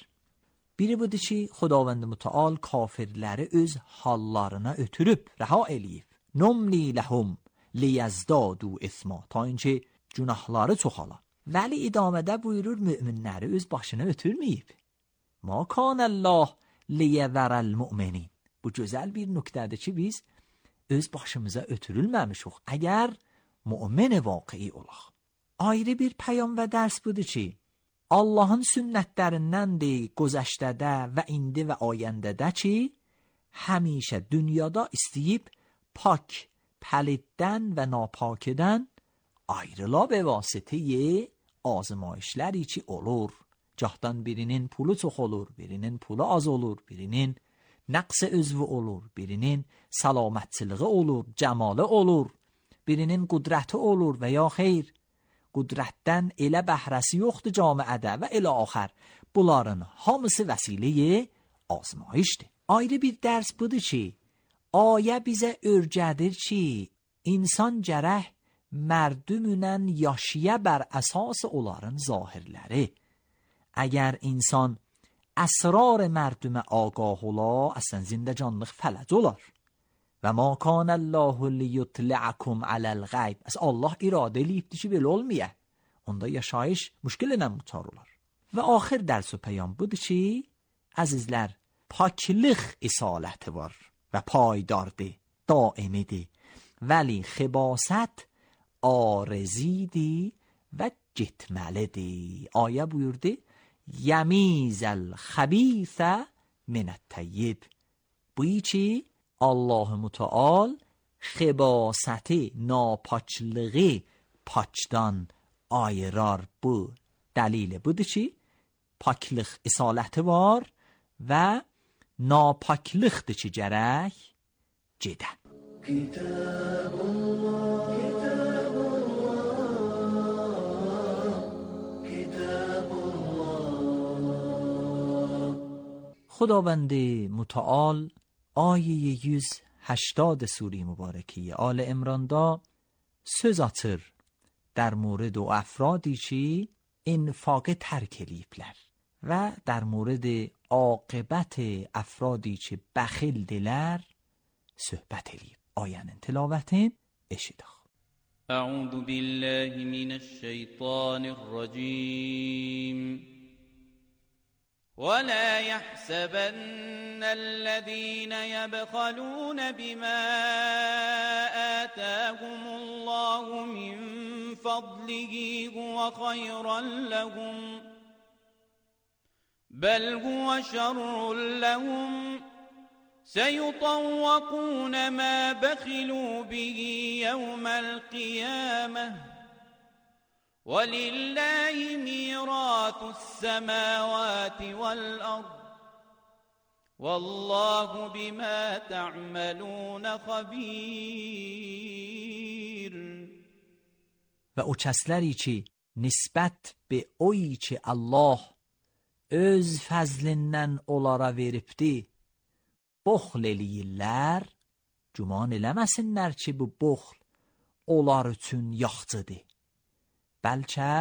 Biri budur ki, Xudavənd mütəal kafirləri öz hallarına ötürüb, rəha eləyib. Numli ləhum liyazdadu isma, ta inki günahları çoxala. Vəli idamədə buyurur, müminləri öz başına ötürməyib. Ma kanəllah liyəvərəl müminin. Bu gözəl bir nöqtədir ki, biz öz başımıza ötürülməmişik, əgər mümin vaqi'i olaq. Ayrı bir pəyam və dərs budur ki, Allahın sünnətlərindəndir gözəşdədə və indi və ayəndədə ki, həmişə dünyada istəyib pak, pəliddən və napakədən ayrıla və vasitəyə azmayişləri ki olur. Cahdan birinin pulu çox olur, birinin pulu az olur, birinin nəqs özvü olur, birinin səlamətçiliği olur, cəmalı olur, birinin qudrəti olur və ya xeyr. Qudrətdən elə bəhrəsi yoxdur camiədə və elə axər. Bunların hamısı vəsiləyə azmayışdır. Ayrı bir dərs budur ki, ayə bizə örgədir ki, insan gərək mərdümünən yaşaya bər əsas onların zahirləri. Əgər insan əsrar mərdümə ağah ola, əslən zindəcanlıq fələc olar. Və ma kan Allahu liyutla'akum alal-gayb. As Allah iradə eləyibdi ki, belə olmaya. Onda yaşayış müşkilinə mutar olar. Və axir dərs və peyam budur ki, əzizlər, paklıq isaləti var və paydardır, daimidir. Vəli xibasət arzidir və getməlidir. Ayə buyurdu, yəmizəl xəbisə minət-təyyib. Bu ki, Allah-u Müteal xibasəti, napaçlığı paçdan ayırar. Bu dəlili budur ki, paklıq isaləti var və napaklıqdır ki, gərək gedə. Kitabullah, Kitabullah, Kitabullah. خداوند متعال آیه yüz هشتاد سوره مبارکه آل عمران دا söz atır در مورد o افرادی ki infaqı tərk eləyiblər və در مورد عاقبت افرادی ki bəxildilər söhbət eləyib. Ayənin tilavətini eşidək. أعوذ بالله من الشيطان الرجيم ولا يحسبن الذين يبخلون بما آتاهم الله من فضله هو خيرا لهم بل هو شر لهم سيطوقون ما بخلوا به يوم القيامة ولله ميراث السماوات والأرض والله بما تعملون خبير. و o kəsləri ki nisbət be oy ki Allah öz fəzlindən onlara veribdi boxl eləyirlər, güman eləməsinlər ki bu boxl onlar üçün yaxçıdır. Bəlkə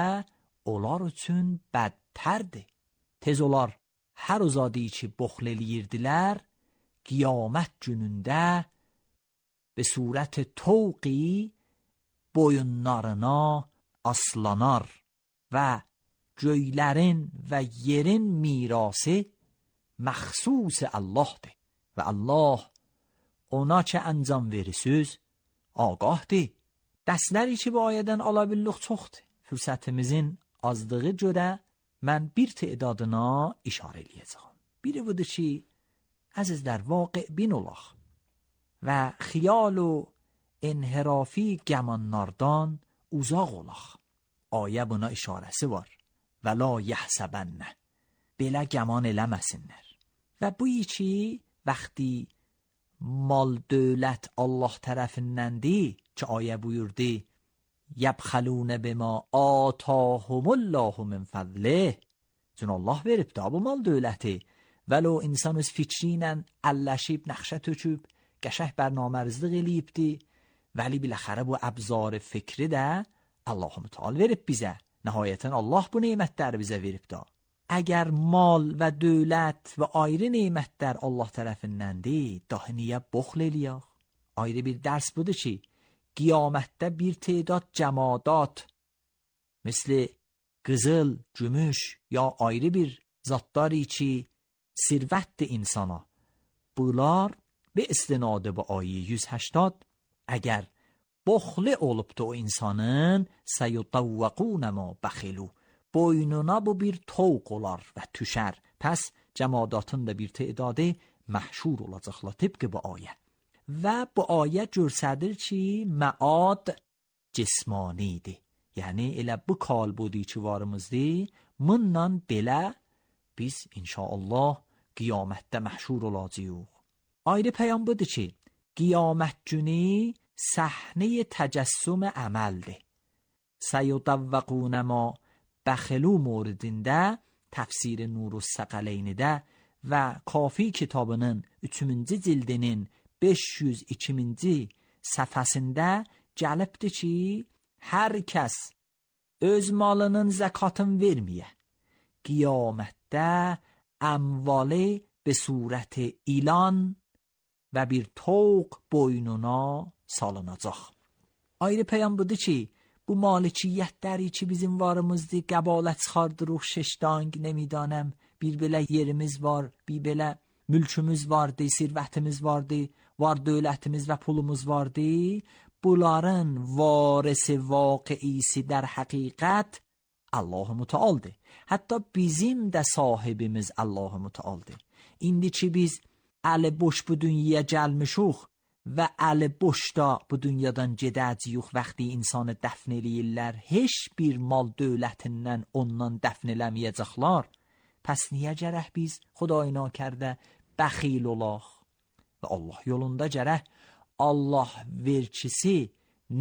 onlar üçün bədtərdir. Tez olar hər uzadi ki boxl eləyirdilər, qiyamət günündə be surət toqi boyunlarına aslanar və göylərin və yerin mirası məxsus Allahdır. Və Allah ona ki əncam verirsiniz, ağahdır. Dərsləri ki bu ayədən ala billuq çoxdur. Fürsətimizin azlığı görə mən bir təadına işarə eləyəcəm. Biri budur ki, əzizlər, vaqe bin olaq və xiyal و انحرافی گمانناردان uzaq olaq. Ayə buna işarəsi var. Və la yəhsəbənnə. Belə gəman eləməsinlər. Və bu ki, vəxti mal dövlət Allah tərəfindəndir ki, ayə buyurdu, yəbxəlunə bima atahumullahu min fədlih. Çün Allah verib da bu mal dövləti. Vəlo insan öz fikri ilə əlləşib, nəxşə töküb, qəşəh bərnamərizlik eləyibdi. Vəli biləxərə bu əbzar fikri də Allah-u Müteal verib bizə. Nəhayətən Allah bu neymətləri bizə verib da. Əgər mal və dövlət və ayrı neymətlər Allah tərəfindəndir, dahi niyə boxl eləyək? Ayrı bir dərs budur ki, qiyamətdə bir تعداد cəmadat, misli qızıl, gümüş ya ayrı bir zatları ki, sirvətdir insana. Bunlar به استناد با آیه yüz هشتاد اگر بخل olubdu o insanın سیطوقون ما بخلو boynuna bu bir toq olar və tüşər. Pəs cəmadatın da bir tədadı məhşur olacaqlar tıpkı bu ayə. Və bu ayə göstərir ki, məad cismanidir. Yəni elə bu kalbudi ki varımızdır, bununla belə biz inşallah qiyamətdə məhşur olacağıq. Ayrı peyam budur ki, qiyamət günü səhnə təcəssüm əməldir. Səyudavvaqun ma bəxilü موردində təfsir Nurus Səqaleynidə və Kafi kitabının üçüncü cildinin beş yüz ikinci səhifəsində gəlibdir ki, hər kəs öz malının zəkatını verməyə, qiyamətdə əmvalı به صورت ilan və bir toq boynuna salınacaq. Ayrı peyam budur ki, bu malikiyyətləri ki bizim varımızdır, qəbalət çıxardırıq, şeşdang, nemidanəm, bir belə yerimiz var, bir belə mülkümüz vardı, sirvətimiz vardı, var dövlətimiz və pulumuz vardı. Bunların varisi vaqiisi در حقیقت Allah Müteal'dır. Hatta bizim də sahibimiz Allah Müteal'dır. İndi ki biz əli boş bu dünyaya gəlmişuq və əli boş da bu dünyadan gedəcəyik, vaxtı insanı dəfn eləyirlər, heç bir mal dövlətindən ondan dəfn eləməyəcəklər. Pəs niyə gərək biz xudayına kərdə bəxil olaq və Allah yolunda gərək Allah verkisi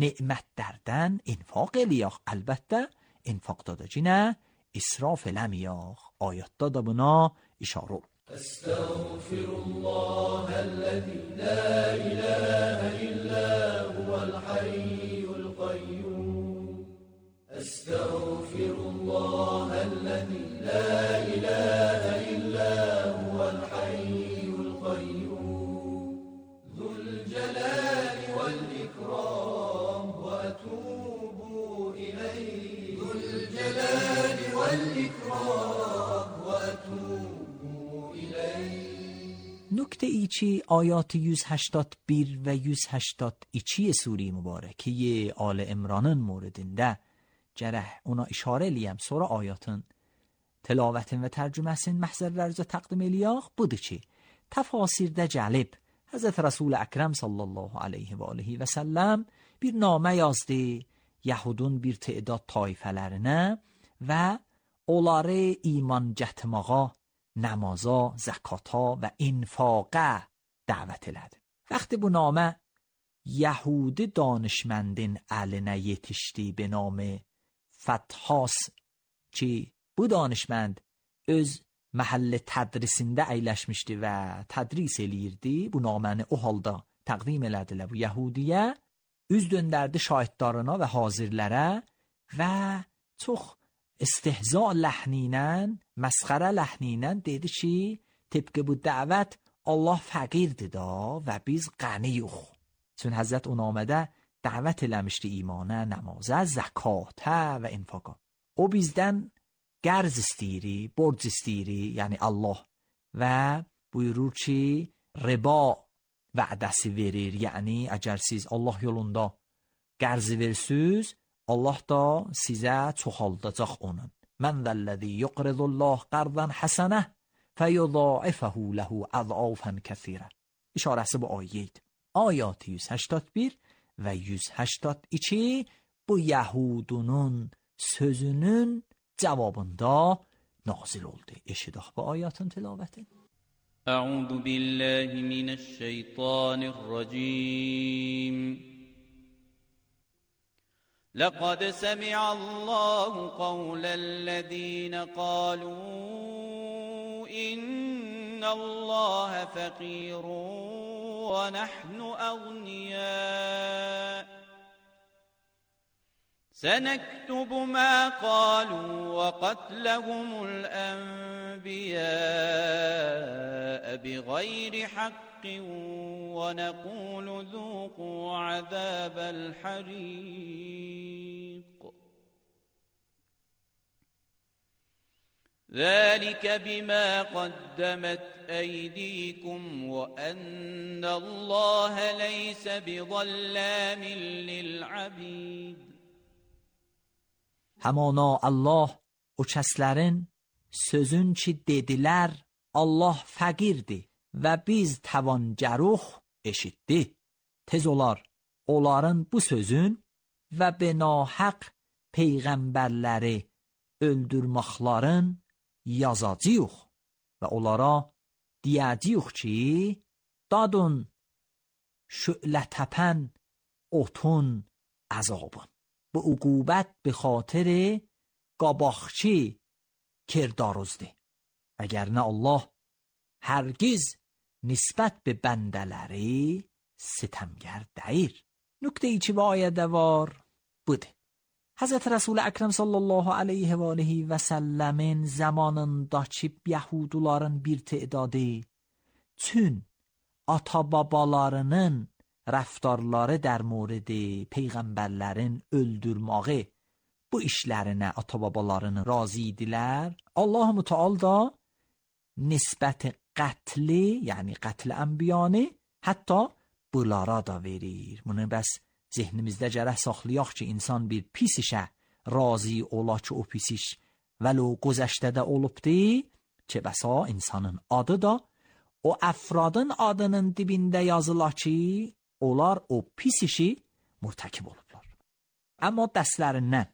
nemətlərdən infaq eləyək. Əlbəttə infaqda da cinə israf eləməyək. Ayətdə də buna işarə olur. أستغفر الله الذي لا إله إلا هو الحي القيوم أستغفر الله الذي لا إله إلا هو الحي القيوم ذو الجلال والإكرام وأتوب إليه ذو الجلال والإكرام وأتوب نکته ای چی آیات yüz هشتاد و bir və yüz هشتاد و iki سوره mübarəkiyə Ali İmranın موردində gərək ona işarə eləyəm, sonra ayatın tilavətin və tərcüməsin məhzərlərinizə təqdim eləyək. Budur ki, təfasirdə gəlib Həzrət Rasul Əkrəm sallallahu aleyhi və aleyhi və səlləm bir namə yazdı Yahudun bir təidad tayfələrinə və onları iman gətirməyə, namaza, zəkata və infaqa dəvət elədi. وقتی bu namə Yahudi danışmendin əlinə yetişdi به نام فتحاس ki bu danışmend öz məhəllə tədrisində əyləşmişdi və tədris eləyirdi. Bu naməni o halda təqdim elədilər bu Yahudiyə, üz döndərdi şahidlarına və hazirlərə və çox istihza ləhni ilə, məsxərə ləhni ilə dedi ki, təbqə bu dəvət Allah fəqirdir da və biz qəniyuq. Çün Həzrət o namədə dəvət eləmişdi imana, namazə, zəkatə və infaqa. O bizdən qərz istəyiri, borc istəyiri, yəni Allah, və buyurur ki, riba vədəsi verir, yəni əgər siz Allah yolunda qərzi versiz, Allah da sizə çoxaldacaq onun. Mən zəlləzi yuqridullah qardan həsənə fəyudâifəhu ləhu əzəafən kəthirə. İşarəsi bu ayəydi. Ayat yüz هشتاد و bir və yüz هشتاد و iki bu Yahudunun sözünün cavabında nazil oldu. Eşidək bu ayatın tilavəti. Əuzu billahi mineşşeytanirracim. لقد سمع الله قول الذين قالوا إن الله فقير ونحن أغنياء سنكتب ما قالوا وقتلهم الأنبياء بغير حق ونقول ذوقوا عذاب الحريق ذلك بما قدمت أيديكم وأن الله ليس بظلام للعبيد. Həmana Allah o kəslərin sözün ki dedilər Allah fəqirdir və biz təvancəruq eşitdi. Tez olar onların bu sözün və benahaq peyğəmbərləri öldürməklərin yazacağıq və onlara deyəcəyik ki, dadın şülə təpən otun əzabın. Bu uqubət bi xatirə qabaxçı kirdarızdır. Əgər nə Allah Hərgiz nisbət be bəndələri sitemgar deyir. Nükte-i ki bu ayədə var budur. Hazreti Resul Ekrem sallallahu aleyhi ve aleyhi ve sellemin zamanındaki Yahuduların bir tedadı tün ata babalarının raftarları der moredi peygamberlerin öldürmağı bu işlerine ata babalarını razı idiler. Allah-u Teala da nisbət qətli yani qətl enbiyanı hatta bunlara da verir. Bunu bəs zihnimizdə gərək saxlayaq ki, insan bir pis işə razı ola ki, o pis iş vəlo gözəşdədə olubdur ki, bəsa insanın adı da o əfradın adının dibində yazıla ki, onlar o pis işi mürtəkib olublar. Amma dərslərindən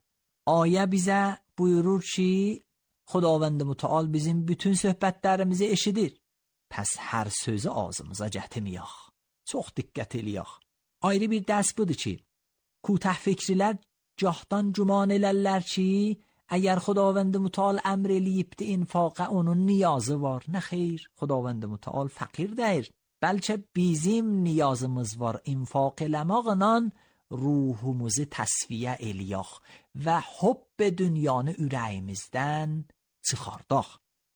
ayə bizə buyurur ki, Xudavənd Mütəal bizim bütün söhbətlərimizi eşidir. Pəs hər sözü ağzımıza gətirməyək. Çox diqqət eləyək. Ayrı bir dərs budur ki, kutah fikrilər cahdan güman elərlər ki, əgər Xudavənd Mütəal əmr eləyibdi infaqa onun niyazı var. Nə xeyr, Xudavənd Mütəal fəqir deyir. Bəlkə bizim niyazımız var infaq eləmaqla ruhumuzu təsfiyə eləyək və hubb dünyanı ürəyimizdən çıxardaq.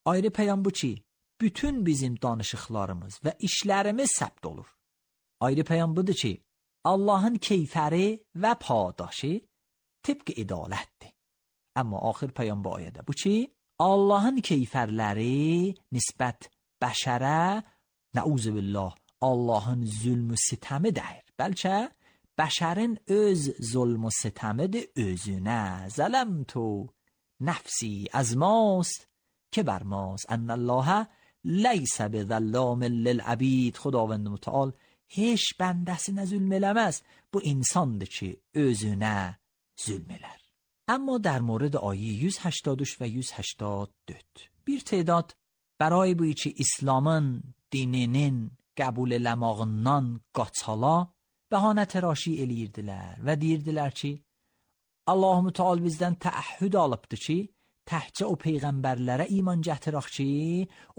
Ayrı peyam bu ki, bütün bizim danışıqlarımız və işlərimiz səbt olur. Ayrı peyam budur ki, Allah'ın keyfəri və padaşı tıpkı idalətdir. Amma axir peyam bu ayədə bu ki, Allah'ın keyfərləri nisbət bəşərə, nəuzubillah, Allah'ın zülmü sitəmi deyir. Bəlkə bəşərin öz zulmü sitəmidir özünə. Zələmtu nəfsi əzmast که بر ماست ان الله لیس بظلام للعبید. Xudavənd Mütəal heç bəndəsinə zülm eləməz. Bu insandır ki, özünə zülm elər. Amma در مورد آیه yüz هشتاد و üç ve yüz هشتاد و dörd bir تعداد برای bu ki İslamın dininin qəbul eləmağından qaçala bəhanə təraşi eləyirdilər və deyirdilər ki, Allah-u Teala bizdən təəhhüd alıbdı ki, təhcə o peyğəmbərlərə iman gətirək ki,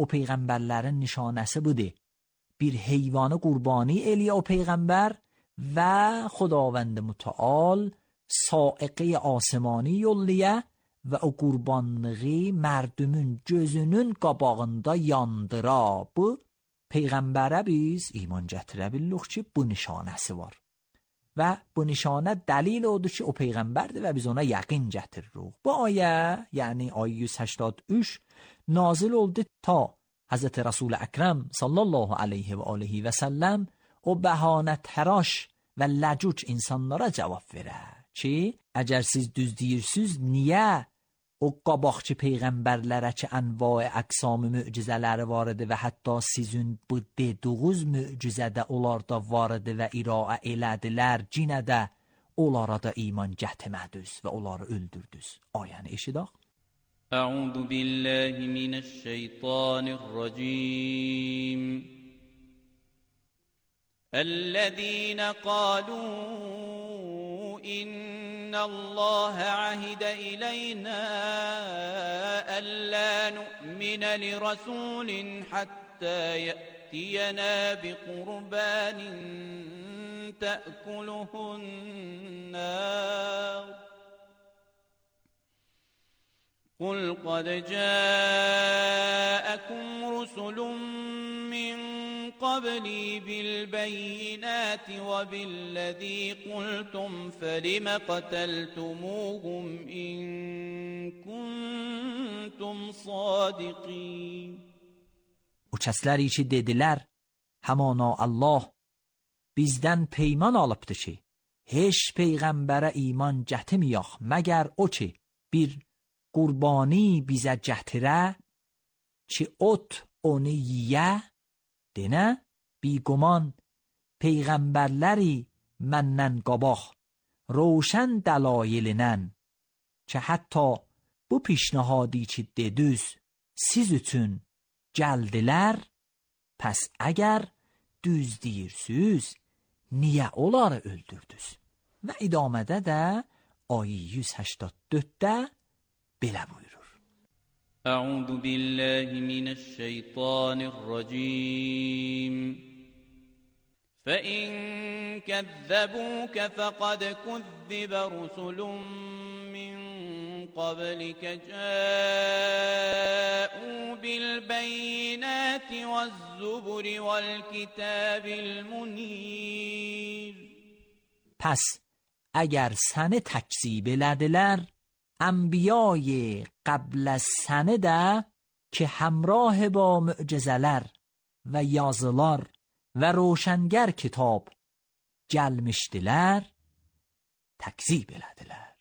o peyğəmbərlərin nişanəsi budur. Bir heyvanı qurbani eləyə o peyğəmbər və Xudavənd Mütəal sa'iqə asmani yolləyə və o qurbanlığı mərdümün gözünün qabağında yandıra. Bu peyğəmbərə biz iman gətirə bilirik ki, bu nişanəsi var. Və bu nişanə dəlil odur ki, o peyğəmbərdir və biz ona yəqin gətiririk. Bu ayə, yəni ayə yüz هشتاد و üç nazil oldu ta Hazreti Resul Ekrem sallallahu aleyhi və aleyhi və səlləm o bəhanə təraş və ləcüc insanlara cavab verər ki, əgər siz düz deyirsiniz, niyə o qabaqçı peyğəmbərlərə ki, ənva-i əqsam-ı mücizələri var idi və hətta sizin bu dediğiniz mücizədə onlar da var idi və iraə elədilər, cinə də onlara da iman gətirmədiniz və onları öldürdünüz. Ayəni eşidək. Əuzu billahi minəşşeytanirracim. Əllezîne qalû إن الله عهد إلينا ألا نؤمن لرسول حتى يأتينا بقربان تأكله النار قل قد جاءكم رسل من قبلي بالبينات وبالذي قلتم فلم قتلتموهم إن كنتم صادقين. O kəsləri ki dedilər, həmana Allah bizdən peyman alıbdı ki, heç peyğəmbərə iman gətirməyək, məgər o ki, bir qurbani bizə gətirə ki, ot onu yiyə, denə, biqoman peyğəmbərləri məndən qabaq, roşən dəlailінən ki, hətta bu pişnahadi ki dedüz, siz üçün gəldilər, pəs əgər düz deyirsiniz, niyə onları öldürdünüz? Və idamədə də ayı yüz هشتاد و dörddə belə buyurur. اعوذ بالله من الشیطان الرجیم فإن كذبوك فقد كذب رسل من قبلك جاءوا بالبينات والزبر والكتاب المنیر. پس اگر سن تکذیب لدلر انبیای قبل از سنه ده که همراه با معجزلر و یازلار و روشنگر کتاب gelmiştiler, tekzip elediler.